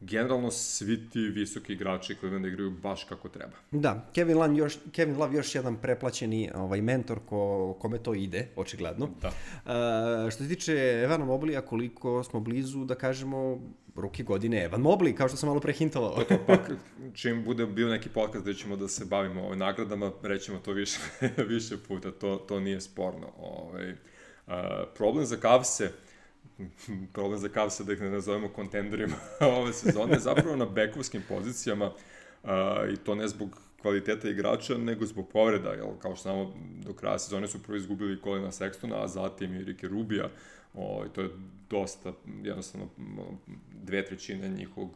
Generalno svi ti visoki igrači koji da igraju baš kako treba. Da, Kevin Love još, Kevin Love još jedan preplaćeni ovaj, mentor ko, kome to ide, očigledno. Da. Uh, što se tiče Evana Moblija, koliko smo blizu da kažemo ruki godine Evan Mobley, kao što sam malo prehintovao. To, to, pa čim bude bio neki podcast gde ćemo da se bavimo ovim nagradama, rećemo to više, više puta, to, to nije sporno. Ovaj, uh, problem za Cavse, problem za Cavse da ih ne nazovemo kontenderima ove sezone, zapravo na bekovskim pozicijama, uh, i to ne zbog kvaliteta igrača, nego zbog povreda, jel, kao što znamo, do kraja sezone su prvo izgubili Colina Sextona, a zatim i Ricky Rubija, o, to je dosta, jednostavno, dve trećine njihovog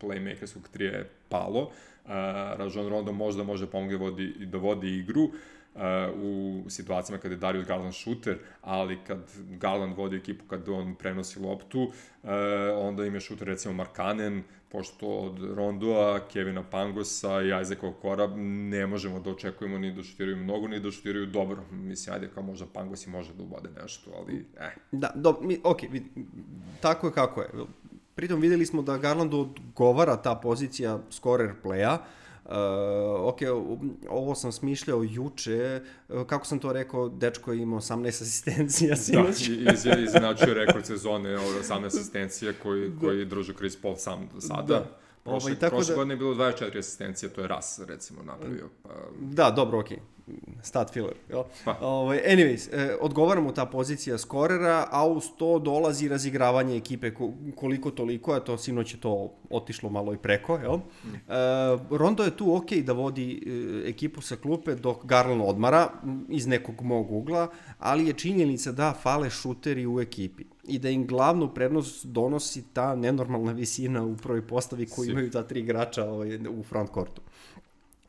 playmakerskog trija je palo. Uh, Rajon Rondo možda može pomoći da vodi, da vodi igru, Uh, u situacijama kada je Darius Garland šuter, ali kad Garland vodi ekipu, kad on prenosi loptu, uh, onda im je šuter recimo Markkanen, pošto od Rondoa, Kevina Pangosa i Isaaca Okora ne možemo da očekujemo ni da šutiraju mnogo, ni da šutiraju dobro. Mislim, ajde, kao možda Pangos i može da ubode nešto, ali eh. Da, do, mi, ok, tako je kako je. Pritom videli smo da Garlandu odgovara ta pozicija scorer playa. Uh, ok, ovo sam smišljao juče, kako sam to rekao, dečko je imao osamnaest asistencija sinoć. Da, izinačio rekord sezone, osamnaest asistencija koji, koji drži Chris Paul sam do sada. Da. Prošle, ovaj, prošle da, godine je bilo dvadeset četiri asistencije, to je Ras, recimo, napravio. Pa... Da, dobro, okej. Okay. Stat filler. Jel? Pa. Ovaj, anyways, eh, odgovara mu ta pozicija skorera, a uz to dolazi razigravanje ekipe koliko toliko, a to sinoć je to otišlo malo i preko. Jel? Mm. Eh, Rondo je tu okej okay da vodi eh, ekipu sa klupe dok Garland odmara iz nekog mog ugla, ali je činjenica da fale šuteri u ekipi i da im glavnu prednost donosi ta nenormalna visina u prvoj postavi koju imaju ta tri igrača ovaj, u frontcourtu.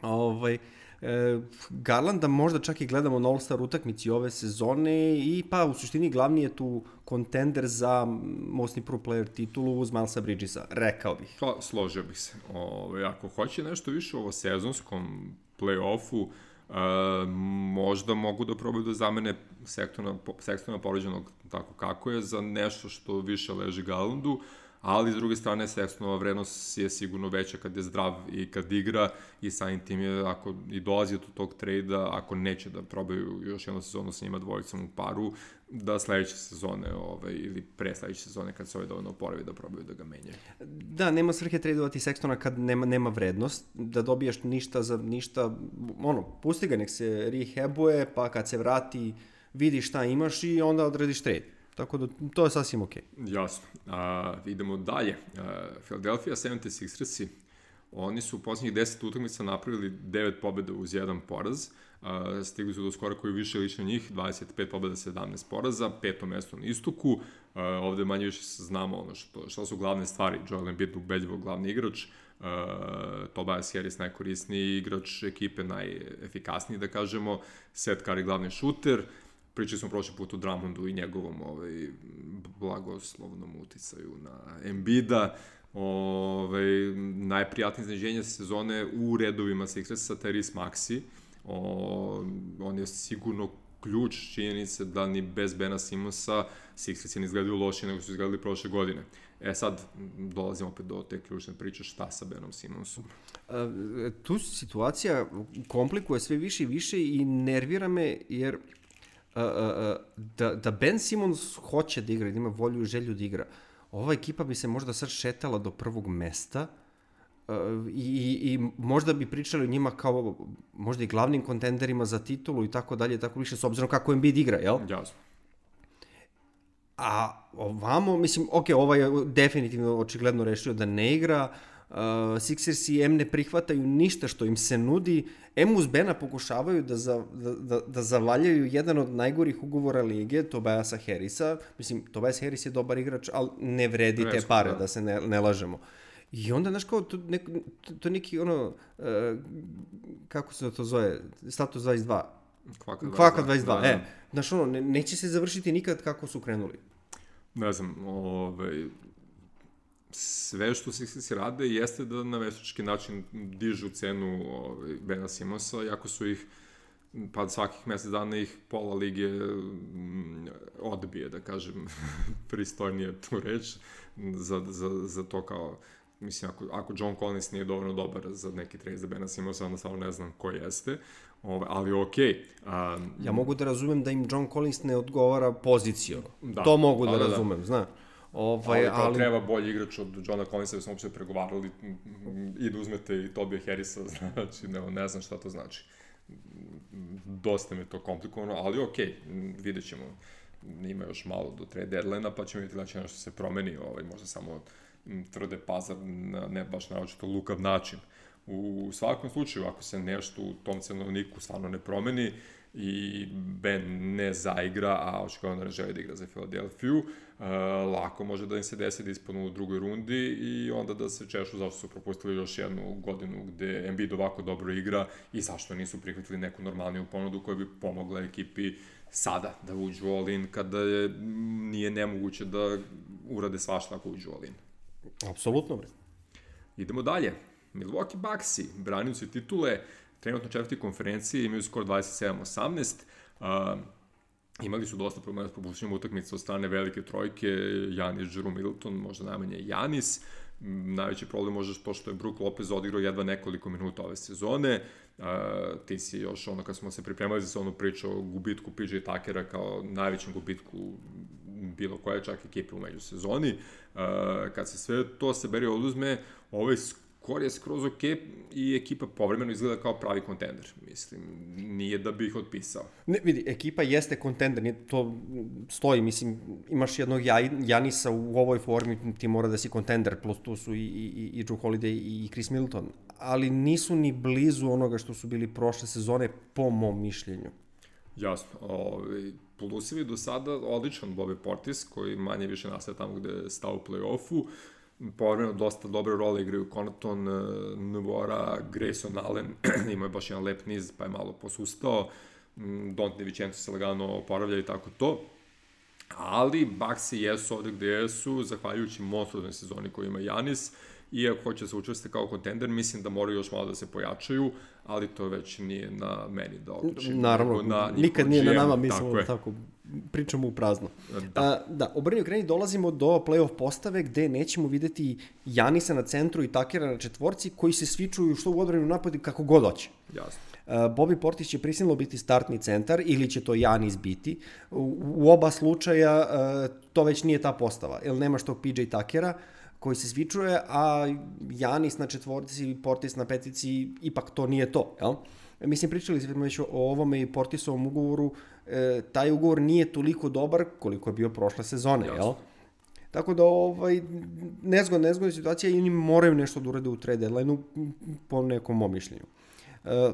Ovaj, e, Garlanda možda čak i gledamo na All-Star utakmici ove sezone i pa u suštini glavni je tu kontender za Most Improved Player titulu uz Milesa Bridgesa, rekao bih. Pa, složio bih se. Ove, ako hoće nešto više u ovo sezonskom play-offu, Uh, možda mogu da probaju da zamene Sextona, Sextona povređenog tako kako je za nešto što više leži Garlandu, ali s druge strane Sextonova vrednost je sigurno veća kad je zdrav i kad igra i samim tim je, ako i dolazi do tog trejda, ako neće da probaju još jednu sezonu sa njima dvojicom u paru, da sledeće sezone ovaj, ili pre sledeće sezone kad se ovaj dovoljno oporavi da probaju da ga menjaju. Da, nema svrhe tradovati Sextona kad nema, nema vrednost, da dobijaš ništa za ništa, ono, pusti ga, nek se rehabuje, pa kad se vrati vidi šta imaš i onda odrediš trade. Tako da to je sasvim okej. Okay. Jasno. A, idemo dalje. A, Philadelphia sedamdeset šestersi, oni su u posljednjih deset utakmica napravili devet pobjeda uz jedan poraz. Uh, stigli su do skora koji više liči na njih, dvadeset pet pobjeda, sedamnaest poraza, peto mesto na istoku. Uh, ovde manje više znamo ono što, što su glavne stvari. Joel Embiid ubedljivo glavni igrač, uh, Tobias Harris najkorisniji igrač ekipe, najefikasniji da kažemo, Seth Curry glavni šuter. Pričali smo prošli put o Drummondu i njegovom ovaj, blagoslovnom uticaju na Embida. Ovaj, najprijatnije iznenađenje sezone u redovima Sixersa, Tyrese Maxey. O, on je sigurno ključ činjenice da ni bez Bena Simonsa Sixersi ne izgledaju lošije nego su izgledali prošle godine. E sad dolazimo opet do te ključne priče šta sa Benom Simonsom. A, tu situacija komplikuje sve više i više i nervira me jer a, a, a, da, da Ben Simmons hoće da igra, da ima volju i želju da igra. Ova ekipa bi se možda sad šetala do prvog mesta uh, i, i možda bi pričali o njima kao možda i glavnim kontenderima za titulu i tako dalje, tako više, s obzirom kako Embiid igra, jel? Jasno. A ovamo, mislim, ok, ovaj je definitivno očigledno rešio da ne igra, uh, Sixersi em ne prihvataju ništa što im se nudi, em uz Bena pokušavaju da, za, da, da, da zavaljaju jedan od najgorih ugovora lige, Tobiasa Harrisa. Mislim, Tobias Harris je dobar igrač, ali ne vredi te pare, da, da se ne, ne lažemo. I onda, znaš, kao, to, nek, to, to neki, ono, uh, kako se to zove, status dvadeset dva. Kvaka dvadeset dva. Kvaka dvadeset dva, da, e. Znaš, ono, ne, neće se završiti nikad kako su krenuli. Ne znam, ovaj... sve što Sixersi rade jeste da na veštački način dižu cenu ovaj, Bena Simonsa, iako su ih, pa svakih mesec dana ih pola lige m, odbije, da kažem, pristojnije tu reč, za, za, za to kao, mislim, ako, ako John Collins nije dovoljno dobar za neki trade za Bena Simonsa, onda samo ne znam ko jeste, ovaj, ali okej. Okay. Um, ja mogu da razumem da im John Collins ne odgovara pozicijom, da, to mogu da, da razumem, da. Znaš. Ovaj, ali, ali treba bolji igrač od Johna Collinsa da smo uopšte pregovarali i da uzmete i Tobija Harrisa, znači ne, ne znam šta to znači. Dosta mi je to komplikovano, ali okej, okay, vidjet ćemo. Ima još malo do trade deadline-a, pa ćemo vidjeti da će nešto se promeni, ovaj, možda samo tvrde pazar na ne baš naočito lukav način. U svakom slučaju, ako se nešto u tom cenovniku stvarno ne promeni i Ben ne zaigra, a očigledno ne želi da igra za Filadelfiju, uh, lako može da im se desi da ispadnu u drugoj rundi i onda da se češu zašto su propustili još jednu godinu gde Embiid ovako dobro igra i zašto nisu prihvatili neku normalniju ponudu koja bi pomogla ekipi sada da uđu all-in kada je, nije nemoguće da urade svašta ako uđu all-in. Apsolutno. Idemo dalje. Milwaukee Bucksi, branioci titule, trenutno četvrti konferencije, imaju skor dvadeset sedam osamnaest. Uh, imali su dosta problema s propuštenjem utakmica od strane velike trojke, Giannis, Jrue Middleton, možda najmanje Giannis. Najveći problem možda to što je Brook Lopez odigrao jedva nekoliko minuta ove sezone. Uh, ti si još ono kad smo se pripremali za onu priču o gubitku P J Tuckera kao najvećem gubitku bilo koje čak ekipe u međusezoni. Uh, kad se sve to seberi oduzme, ovaj skor je skroz ok i ekipa povremeno izgleda kao pravi kontender. Mislim, nije da bi ih otpisao. Ne, vidi, ekipa jeste kontender, nije, to stoji, mislim, imaš jednog Janisa u ovoj formi, ti mora da si kontender, plus tu su i, i, i Jrue Holiday i Chris Middleton, ali nisu ni blizu onoga što su bili prošle sezone, po mom mišljenju. Jasno. Ovaj, plusevi do sada odličan Bobby Portis, koji manje više nastaje tamo gde je stao u play-offu. Povremeno dosta dobre role igraju Connaughton, Nwora, Grayson Allen, imao je baš jedan lep niz, pa je malo posustao. Donte DiVincenzo se lagano oporavlja i tako to. Ali Bucksi jesu ovde gde jesu, zahvaljujući monstruoznoj sezoni koju ima Giannis, i ako hoće se učvrste kao kontender, mislim da moraju još malo da se pojačaju, ali to već nije na meni da odlučim. Naravno, na nikad nije na nama, mislimo da tako pričamo u prazno. Da, A, da obrnio kreni dolazimo do play-off postave gde nećemo videti Janisa na centru i Takera na četvorci koji se svičuju što u odbranu napadi kako god hoće. Jasno. Bobby Portis će prisilno biti startni centar ili će to Giannis biti. U, u oba slučaja to već nije ta postava, jer nemaš tog P J Tuckera koji se svičuje, a Giannis na četvorci, Portis na petici, ipak to nije to, jel? Mislim, pričali smo već o ovome i Portisovom ugovoru, e, taj ugovor nije toliko dobar koliko je bio prošle sezone, Jasno. jel? Tako da, ovaj, nezgodna, nezgodna situacija i oni moraju nešto da urade u trade deadline-u, po nekom mom mišljenju. E,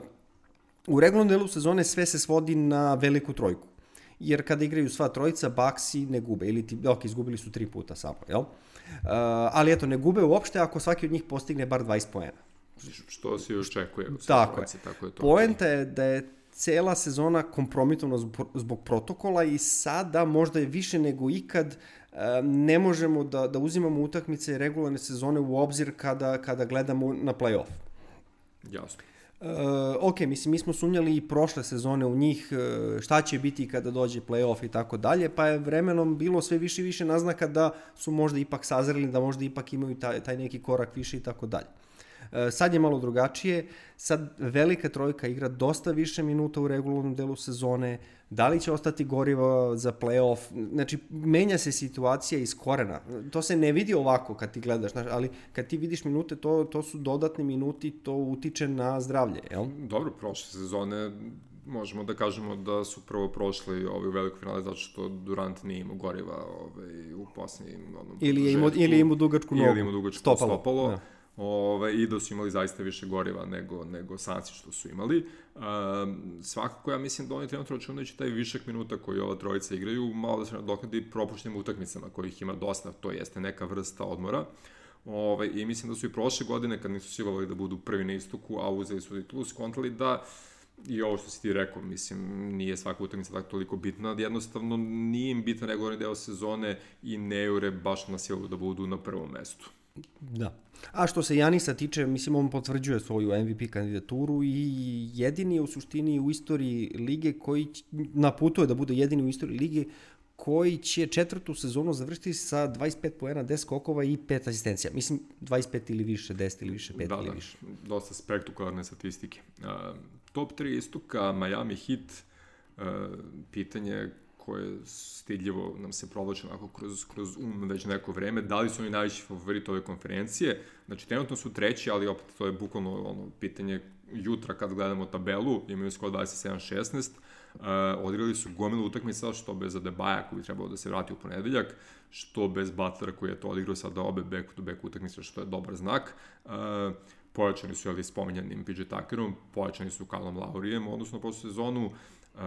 u regularnom delu sezone sve se svodi na veliku trojku. Jer kada igraju sva trojica, Bucksi ne gube. Ili ti, ok, izgubili su tri puta samo, jel? Uh, ali eto, ne gube uopšte ako svaki od njih postigne bar dvadeset poena. Što se još čekuje. Tako trojici, je. Tako je to. Poenta je da je cela sezona kompromitovana zbog, zbog protokola i sada možda je više nego ikad uh, ne možemo da, da uzimamo utakmice regularne sezone u obzir kada, kada gledamo na play-off. Jasno. Uh, ok, mislim, mi smo sumnjali i prošle sezone u njih, uh, šta će biti kada dođe play-off i tako dalje, pa je vremenom bilo sve više i više naznaka da su možda ipak sazreli, da možda ipak imaju taj, taj neki korak više i tako dalje. Uh, sad je malo drugačije, sad velika trojka igra dosta više minuta u regularnom delu sezone, da li će ostati goriva za play-off, znači menja se situacija iz korena, to se ne vidi ovako kad ti gledaš, znaš, ali kad ti vidiš minute, to, to su dodatni minuti, to utiče na zdravlje, jel? Dobro, prošle sezone možemo da kažemo da su prvo prošli ovaj, u velikoj finale zato što Durant nije imao goriva ovaj, u posljednjim onom ili je imao, ili je imao dugačku nogu, ili imao dugačku stopalo, stopalo. Da. Ove, i da su imali zaista više goriva nego, nego Sansi što su imali. Um, svakako ja mislim da oni trenutno računajući taj višak minuta koji ova trojica igraju, malo da se nadoknadi propuštenim utakmicama kojih ima dosta, to jeste neka vrsta odmora. Ove, I mislim da su i prošle godine, kad nisu silovali da budu prvi na istoku, a uzeli su titulu, skontali da i ovo što si ti rekao, mislim, nije svaka utakmica tako toliko bitna, jednostavno nije im bitan regularni deo sezone i ne jure baš na silu da budu na prvom mestu. Da. A što se Janisa tiče, mislim, on potvrđuje svoju M V P kandidaturu i jedini je u suštini u istoriji lige koji naputuje da bude jedini u istoriji lige koji će četvrtu sezonu završiti sa dvadeset pet poena, deset skokova i pet asistencija. Mislim, dvadeset pet ili više, deset ili više, pet da, ili da, više. Dosta spektakularne statistike. Uh, top tri istoka, Miami Heat, uh, pitanje koje stidljivo nam se provlače onako kroz, kroz um već neko vreme, da li su oni najveći favorit ove konferencije? Znači, trenutno su treći, ali opet to je bukvalno ono pitanje jutra kad gledamo tabelu, imaju skor dvadeset sedam šesnaest, uh, odigrali su gomilu utakmica, što bez Adebaja koji bi trebalo da se vrati u ponedeljak, što bez Butlera koji je to odigrao sada obe back-to-back utakmice, što je dobar znak. Uh, pojačani su, ali spominjanim P J Tuckerom, pojačani su Kyleom Laurijem, odnosno po sezonu. Uh,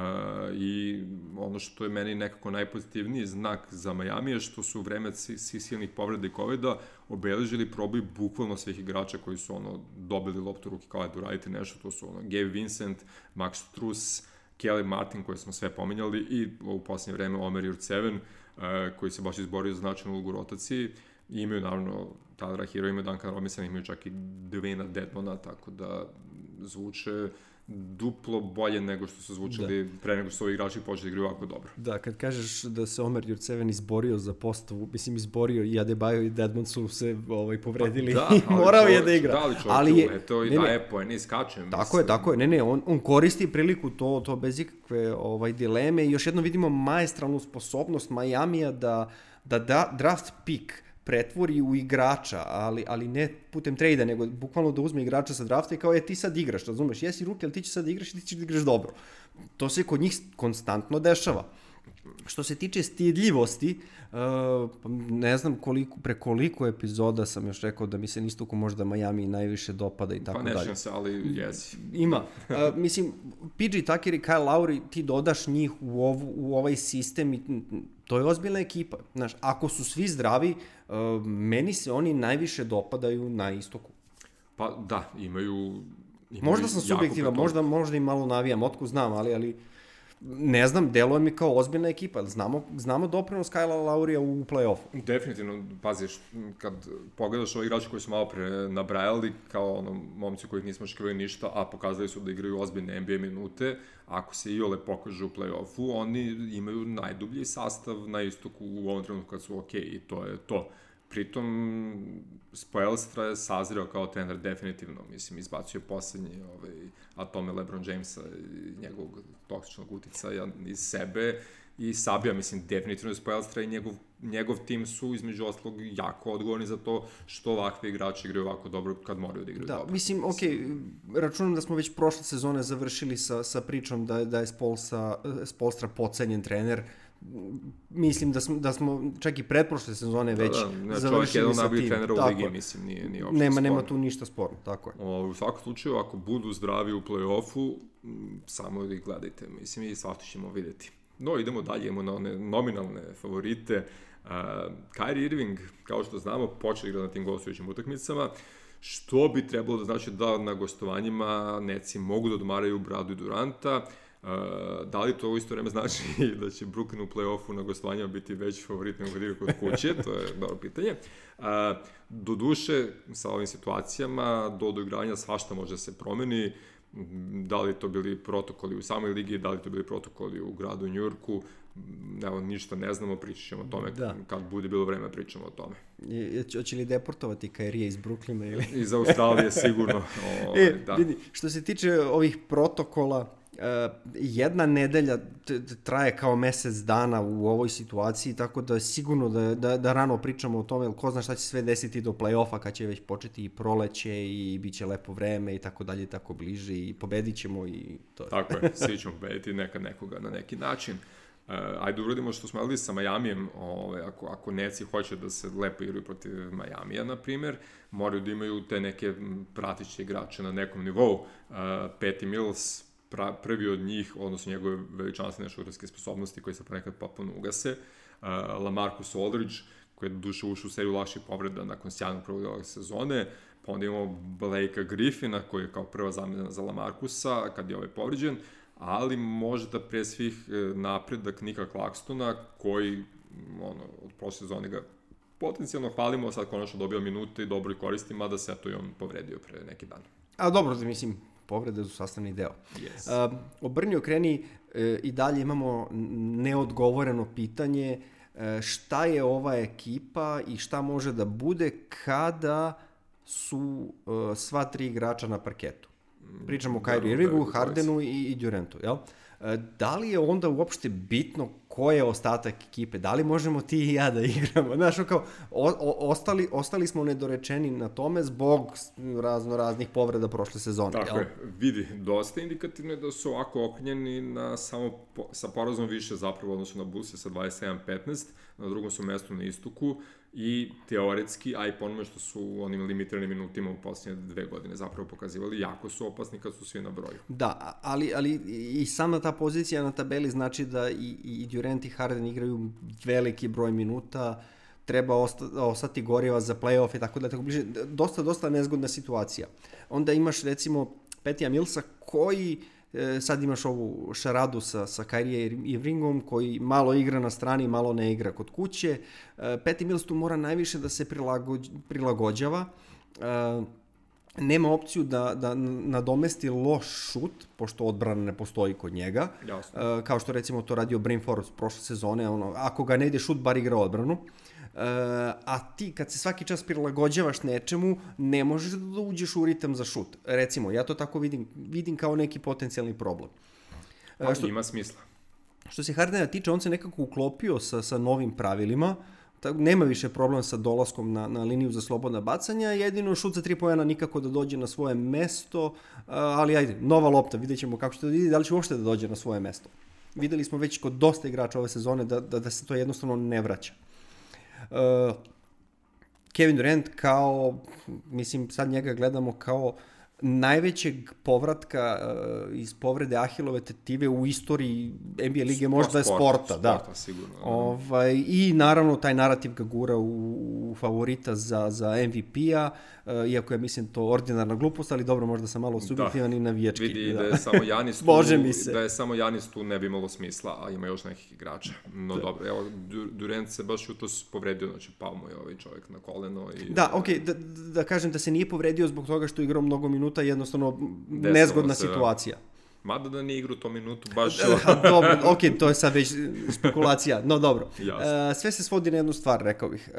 i ono što je meni nekako najpozitivniji znak za Miami je što su u vreme silnih povreda i covida obeležili proboj bukvalno svih igrača koji su ono dobili loptu u ruke kao da uradite nešto, to su ono Gabe Vincent, Max Strus, Kelly Martin koje smo sve pominjali i u posljednje vreme Omer Jurtseven uh, koji se baš izborio za značajnu ulogu u rotaciji. I imaju naravno Tylera Hero, imaju Duncan Robinson, imaju čak i Dwayna Dedmona, tako da zvuče duplo bolje nego što su zvučali da. Pre nego što su ovi igrači počeli da igraju ovako dobro. Da, kad kažeš da se Omer Jurtseven izborio za postavu, mislim izborio i Adebayo i Dedmon su se ovaj, povredili da, i morao čovječ, je da igra. Da, ali čovječ, ali je, eto i ne, daje poene i skače. Tako mislim. je, tako je, ne, ne, on, on koristi priliku to, to bez ikakve ovaj, dileme i još jedno vidimo maestralnu sposobnost Majamija da, da, da draft pick pretvori u igrača, ali, ali ne putem trejda, nego bukvalno da uzme igrača sa drafta i kao, je, ti sad igraš, razumeš, jesi ruki, ali ti će sad igraš i ti ćeš da igraš dobro. To se kod njih konstantno dešava. Što se tiče stidljivosti, uh, ne znam koliko, pre koliko epizoda sam još rekao da mi se istoku možda Miami najviše dopada i tako dalje. Pa nešam se, ali jesi. Ima. Uh, mislim, P J Tucker i Kyle Lowry, ti dodaš njih u, ovu, u ovaj sistem i to je ozbiljna ekipa. Znaš, ako su svi zdravi, uh, meni se oni najviše dopadaju na istoku. Pa da, imaju... imaju možda sam subjektivan, možda, možda i malo navijam, otko znam, ali... ali ne znam, deluje mi kao ozbiljna ekipa. Znamo, znamo doprinos Kylea Laurija u play-offu. Definitivno, paziš, kad pogledaš ove igrače koji su malo pre nabrajali, kao ono, momci kojih nismo očekivali ništa, a pokazali su da igraju ozbiljne N B A minute, ako se iole pokažu u play-offu, oni imaju najdublji sastav na istoku u ovom trenutku kad su okej, okay, i to je to. pritom Spoelstra je sazreo kao trener definitivno, mislim, izbacio je poslednji ovaj, atome LeBron Jamesa i njegovog toksičnog uticaja iz sebe i sabija, mislim, definitivno je Spoelstra i njegov, njegov tim su između ostalog jako odgovorni za to što ovakvi igrači igraju ovako dobro kad moraju da igraju da, dobro. Da, mislim, ok, računam da smo već prošle sezone završili sa, sa pričom da, da je Spolsa, Spolstra podcenjen trener. Mislim da smo, da smo čak i pretprošle sezone već da, da, završili sa tim. Trenera u ligi, mislim, nije, nije uopšte nema, sporno. Nema tu ništa sporno, tako je. O, u svakom slučaju, ako budu zdravi u play-offu, samo ih gledajte, mislim, i svašta ćemo vidjeti. No, idemo dalje, idemo na one nominalne favorite. Uh, Kyrie Irving, kao što znamo, počeo igra na tim gostujućim utakmicama, što bi trebalo da znači da na gostovanjima Netsi mogu da odmaraju Bradu i Duranta. Uh, da li to u isto vreme znači da će Brooklyn u play-offu na gostovanjima biti veći favorit nego kad igra kod kuće, to je dobro pitanje. Uh, do duše, sa ovim situacijama, do doigranja svašta može da se promeni, da li to bili protokoli u samoj ligi, da li to bili protokoli u gradu New Yorku, evo, ništa ne znamo, pričat ćemo o tome da. Kad bude bilo vreme, pričamo o tome. Hoće li deportovati Kyrie iz Brooklyna ili? Iz Australije sigurno. O, e, da. Vidi, što se tiče ovih protokola, Uh, jedna nedelja traje kao mesec dana u ovoj situaciji, tako da je sigurno da, da, da rano pričamo o tome, jer ko zna šta će sve desiti do play-offa kad će već početi i proleće i bit će lepo vreme i tako dalje, tako bliže i pobedit ćemo i to. Tako je, svi ćemo pobediti nekad nekoga na neki način. Uh, ajde uradimo što smo radili sa Majamijem, ove, ako, ako Netsi hoće da se lepo igraju protiv Majamija, na primjer, moraju da imaju te neke pratiće igrače na nekom nivou. Uh, Patty Mills, pra, prvi od njih, odnosno njegove veličanstvene šuterske sposobnosti koje se ponekad potpuno ugase, uh, LaMarcus Aldridge, koji je duše ušao u seriju lakših povreda nakon sjajnog prvog dela sezone, pa onda imamo Blakea Griffina, koji je kao prva zamena za LaMarcusa, kad je ovaj povređen, ali možda pre svih napredak Nika Claxtona, koji ono, od prošle sezone ga potencijalno hvalimo, sad konačno dobio minute i dobro i koristi, mada se to i on povredio pre neki dan. A dobro, da mislim, povrede su sastavni deo. Yes. Uh, obrni okreni, uh, i dalje imamo neodgovoreno pitanje uh, šta je ova ekipa i šta može da bude kada su uh, sva tri igrača na parketu. Pričamo o Kyrie Irvingu, Hardenu i, i Durantu, jel? Da li je onda uopšte bitno ko je ostatak ekipe? Da li možemo ti i ja da igramo? Znaš, kao, o, o, ostali, ostali smo nedorečeni na tome zbog razno raznih povreda prošle sezone. Tako jel? je, vidi, dosta indikativno je da su ovako okrenjeni na samo po, sa porazom više zapravo, odnosno na Bullse sa dvadeset sedam petnaest, na drugom su mestu na istoku i teoretski, a i ponome što su onim limitiranim minutima u posljednje dve godine zapravo pokazivali, jako su opasni kad su svi na broju. Da, ali, ali i sama ta pozicija na tabeli znači da i, i Durant i Harden igraju veliki broj minuta, treba osta, ostati goriva za play-off i tako da tako bliže. Dosta, dosta nezgodna situacija. Onda imaš recimo Patija Millsa koji e, sad imaš ovu šaradu sa, sa Kyrie Irvingom koji malo igra na strani, malo ne igra kod kuće. E, Patty Mills tu mora najviše da se prilagođ, prilagođava. E, nema opciju da, da nadomesti loš šut, pošto odbrana ne postoji kod njega. Jasno. E, kao što recimo to radio Bryn Forbes prošle sezone, ono, ako ga ne ide šut, bar igra odbranu. Uh, a ti kad se svaki čas prilagođavaš nečemu, ne možeš da uđeš u ritam za šut. Recimo, ja to tako vidim, vidim kao neki potencijalni problem. Uh, što, ima smisla. Što se Hardena tiče, on se nekako uklopio sa, sa novim pravilima, tako, nema više problema sa dolaskom na, na liniju za slobodna bacanja, jedino šut za tri poena nikako da dođe na svoje mesto, uh, ali ajde, nova lopta, vidjet ćemo kako će to da vidi, da li će uopšte da dođe na svoje mesto. Videli smo već kod dosta igrača ove sezone da, da, da se to jednostavno ne vraća. Uh, Kevin Durant kao, mislim sad njega gledamo kao najvećeg povratka uh, iz povrede Ahilove tetive u istoriji N B A lige, možda je sporta, sporta, da. Sporta, sigurno. Ovaj, i naravno taj narativ ga gura u, u favorita za, za M V P-a, uh, iako je mislim to ordinarna glupost, ali dobro, možda sam malo subjektivan da. I navijački. Vidi da. da je samo Janis tu, Bože mi se. Da je samo Janis tu ne bi imalo smisla, a ima još nekih igrača. No da. Dobro, evo, Durant se baš u to povredio, znači pao mu je ovaj čovjek na koleno. I, da, okej, okay, da, da kažem da se nije povredio zbog toga što je igrao mnogo minuta, jednostavno nezgodna se, situacija. Mada da nije igrao u tom minutu, baš... Dobro, ok, to je sad već spekulacija, no dobro. Jasno. Sve se svodi na jednu stvar, rekao bih.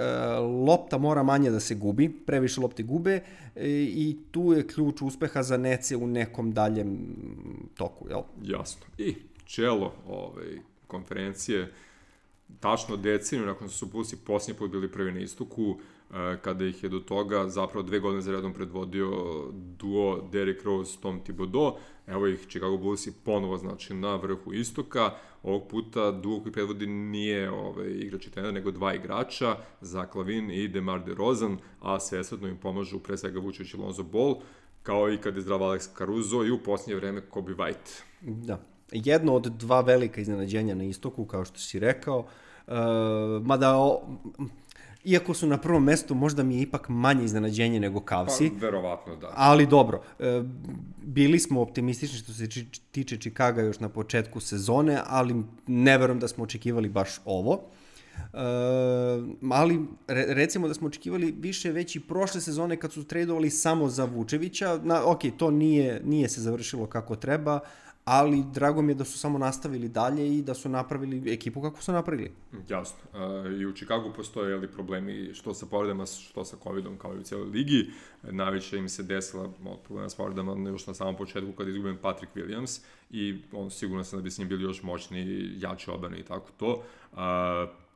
Lopta mora manje da se gubi, previše lopte gube i tu je ključ uspeha za Nece u nekom daljem toku, jel? Jasno. I čelo ovaj, konferencije, tačno deceniju nakon što su Bullsi posljednji put bili prvi na istoku, kada ih je do toga zapravo dve godine za redom predvodio duo Derrick Rose, Tom Thibodeau. Evo ih Chicago Bullsi ponovo znači na vrhu istoka. Ovog puta duo koji predvodi nije ovaj, igrač i trener, nego dva igrača, Zach LaVine i DeMar DeRozan, a svesredno im pomažu pre svega Vučević i Lonzo Ball, kao i kad je zdrav Alex Caruso i u posljednje vreme Kobe White. Da. Jedno od dva velika iznenađenja na istoku, kao što si rekao, uh, mada o, iako su na prvom mestu, možda mi je ipak manje iznenađenje nego Cavsi. Pa, verovatno, da. Ali dobro, uh, bili smo optimistični što se či, tiče Chicaga još na početku sezone, ali ne verujem da smo očekivali baš ovo. Uh, ali re, recimo da smo očekivali više već i prošle sezone kad su tradovali samo za Vučevića. Na, ok, to nije, nije se završilo kako treba, ali drago mi je da su samo nastavili dalje i da su napravili ekipu kako su napravili. Jasno. Uh, I u Chicagu postoje jeli, problemi što sa povredama, što sa covidom, kao i u cijeloj ligi. Najviše im se desila od problema s povredama još na samom početku kad izgubljen Patrick Williams i on sigurno sam da bi s njim bili još moćni, jači odbrane i tako to. Uh,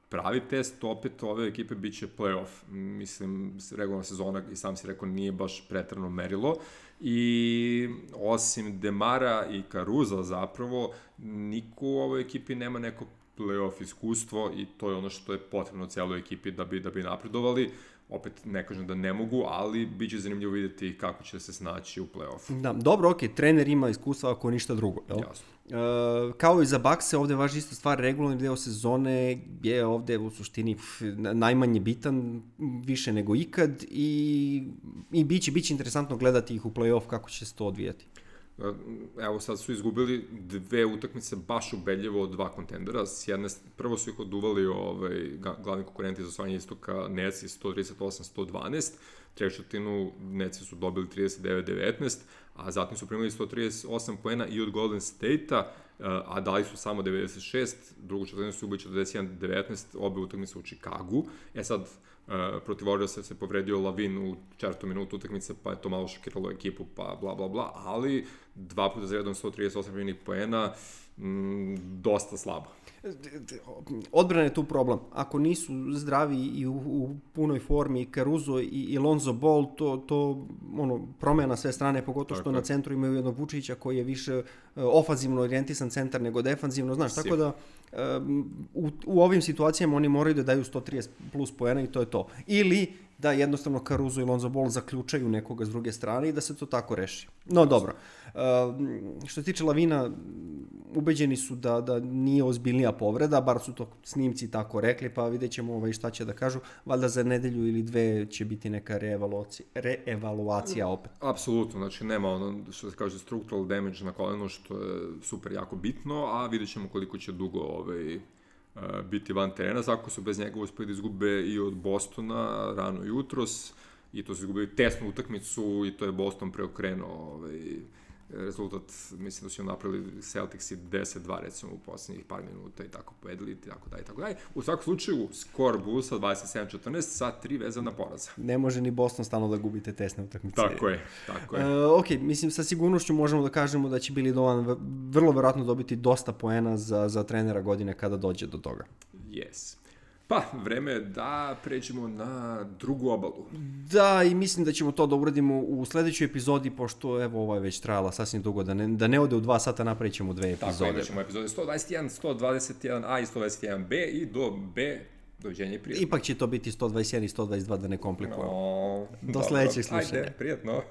Pravi test opet ove ekipe bit će playoff. Mislim, regularna sezona, i sam si rekao, nije baš pretrano merilo. I osim Demara i Caruza zapravo, niko u ovoj ekipi nema neko playoff iskustvo i to je ono što je potrebno cijeloj ekipi da bi, da bi napredovali. Opet ne kažem da ne mogu, ali bit će zanimljivo vidjeti kako će se snaći u play-offu. Da, dobro, ok, trener ima iskustva ako ništa drugo. Jel? Jasno. Uh, kao i za Buckse, ovde važi ista stvar, regularni deo sezone je ovde u suštini pf, najmanje bitan, više nego ikad i, i bit će, bit će interesantno gledati ih u play-off kako će se to odvijati. Evo sad su izgubili dve utakmice baš ubedljivo od dva kontendera. S jedne, prvo su ih oduvali ovaj, glavni konkurenti za osvajanje istoka Netsi sto trideset osam sto dvanaest, trećetinu Netsi su dobili trideset devet devetnaest, a zatim su primili sto trideset osam poena i od Golden State-a, a dali su samo devedeset šest, drugu četvrtinu su ubili četrdeset jedan devetnaest, obe utakmice u Chicagu. E sad, Uh, protiv Warriorsa se povredio LaVine u četvrtom minutu utakmice, pa je to malo šokiralo ekipu, pa bla bla bla, ali dva puta za redom sto trideset osam poena, mm, dosta slabo. Odbrana je tu problem. Ako nisu zdravi i u, u punoj formi Caruso i, i Lonzo Ball, to, to ono, promena sve strane, pogotovo što na centru imaju jednog Vučića koji je više ofanzivno orijentisan centar nego defanzivno, znaš, tako da um, u, u ovim situacijama oni moraju da daju sto trideset plus poena i to je to. Ili da jednostavno Caruso i Lonzo Ball zaključaju nekoga s druge strane i da se to tako reši. No dobro, uh, što se tiče LaVina, ubeđeni su da, da nije ozbiljnija povreda, bar su to snimci tako rekli, pa vidjet ćemo ovaj šta će da kažu. Valjda za nedelju ili dve će biti neka reevaluacija, reevaluacija opet. Apsolutno, znači nema ono što se kaže structural damage na kolenu, što je super jako bitno, a vidjet ćemo koliko će dugo ovaj, biti van terena. Svako su bez njega uspeli da izgube i od Bostona rano jutros i to su izgubili tesnu utakmicu i to je Boston preokrenuo ovaj, rezultat, mislim da su im napravili Celticsi deset dva recimo u posljednjih par minuta i tako povedali i tako dalje i tako dalje. U svakom slučaju, skor Bullsa dvadeset sedam četrnaest sa tri vezana poraza. Ne može ni Boston stalno da gubite tesne utakmice. Tako je, tako je. Uh, ok, mislim sa sigurnošću možemo da kažemo da će Billy Donovan vrlo verovatno dobiti dosta poena za, za trenera godine kada dođe do toga. Yes. Pa, vreme je da pređemo na drugu obalu. Da, i mislim da ćemo to da uradimo u sledećoj epizodi, pošto evo ova je već trajala sasvim dugo, da ne, da ne ode u dva sata, napravit ćemo dve epizode. Tako je, da ćemo epizode sto dvadeset jedan, sto dvadeset jedan a i sto dvadeset jedan be i do B, doviđenja i prijatno. Ipak će to biti sto dvadeset jedan i sto dvadeset dva da ne komplikujemo. No, do sledećeg slušanja. Ajde, prijatno.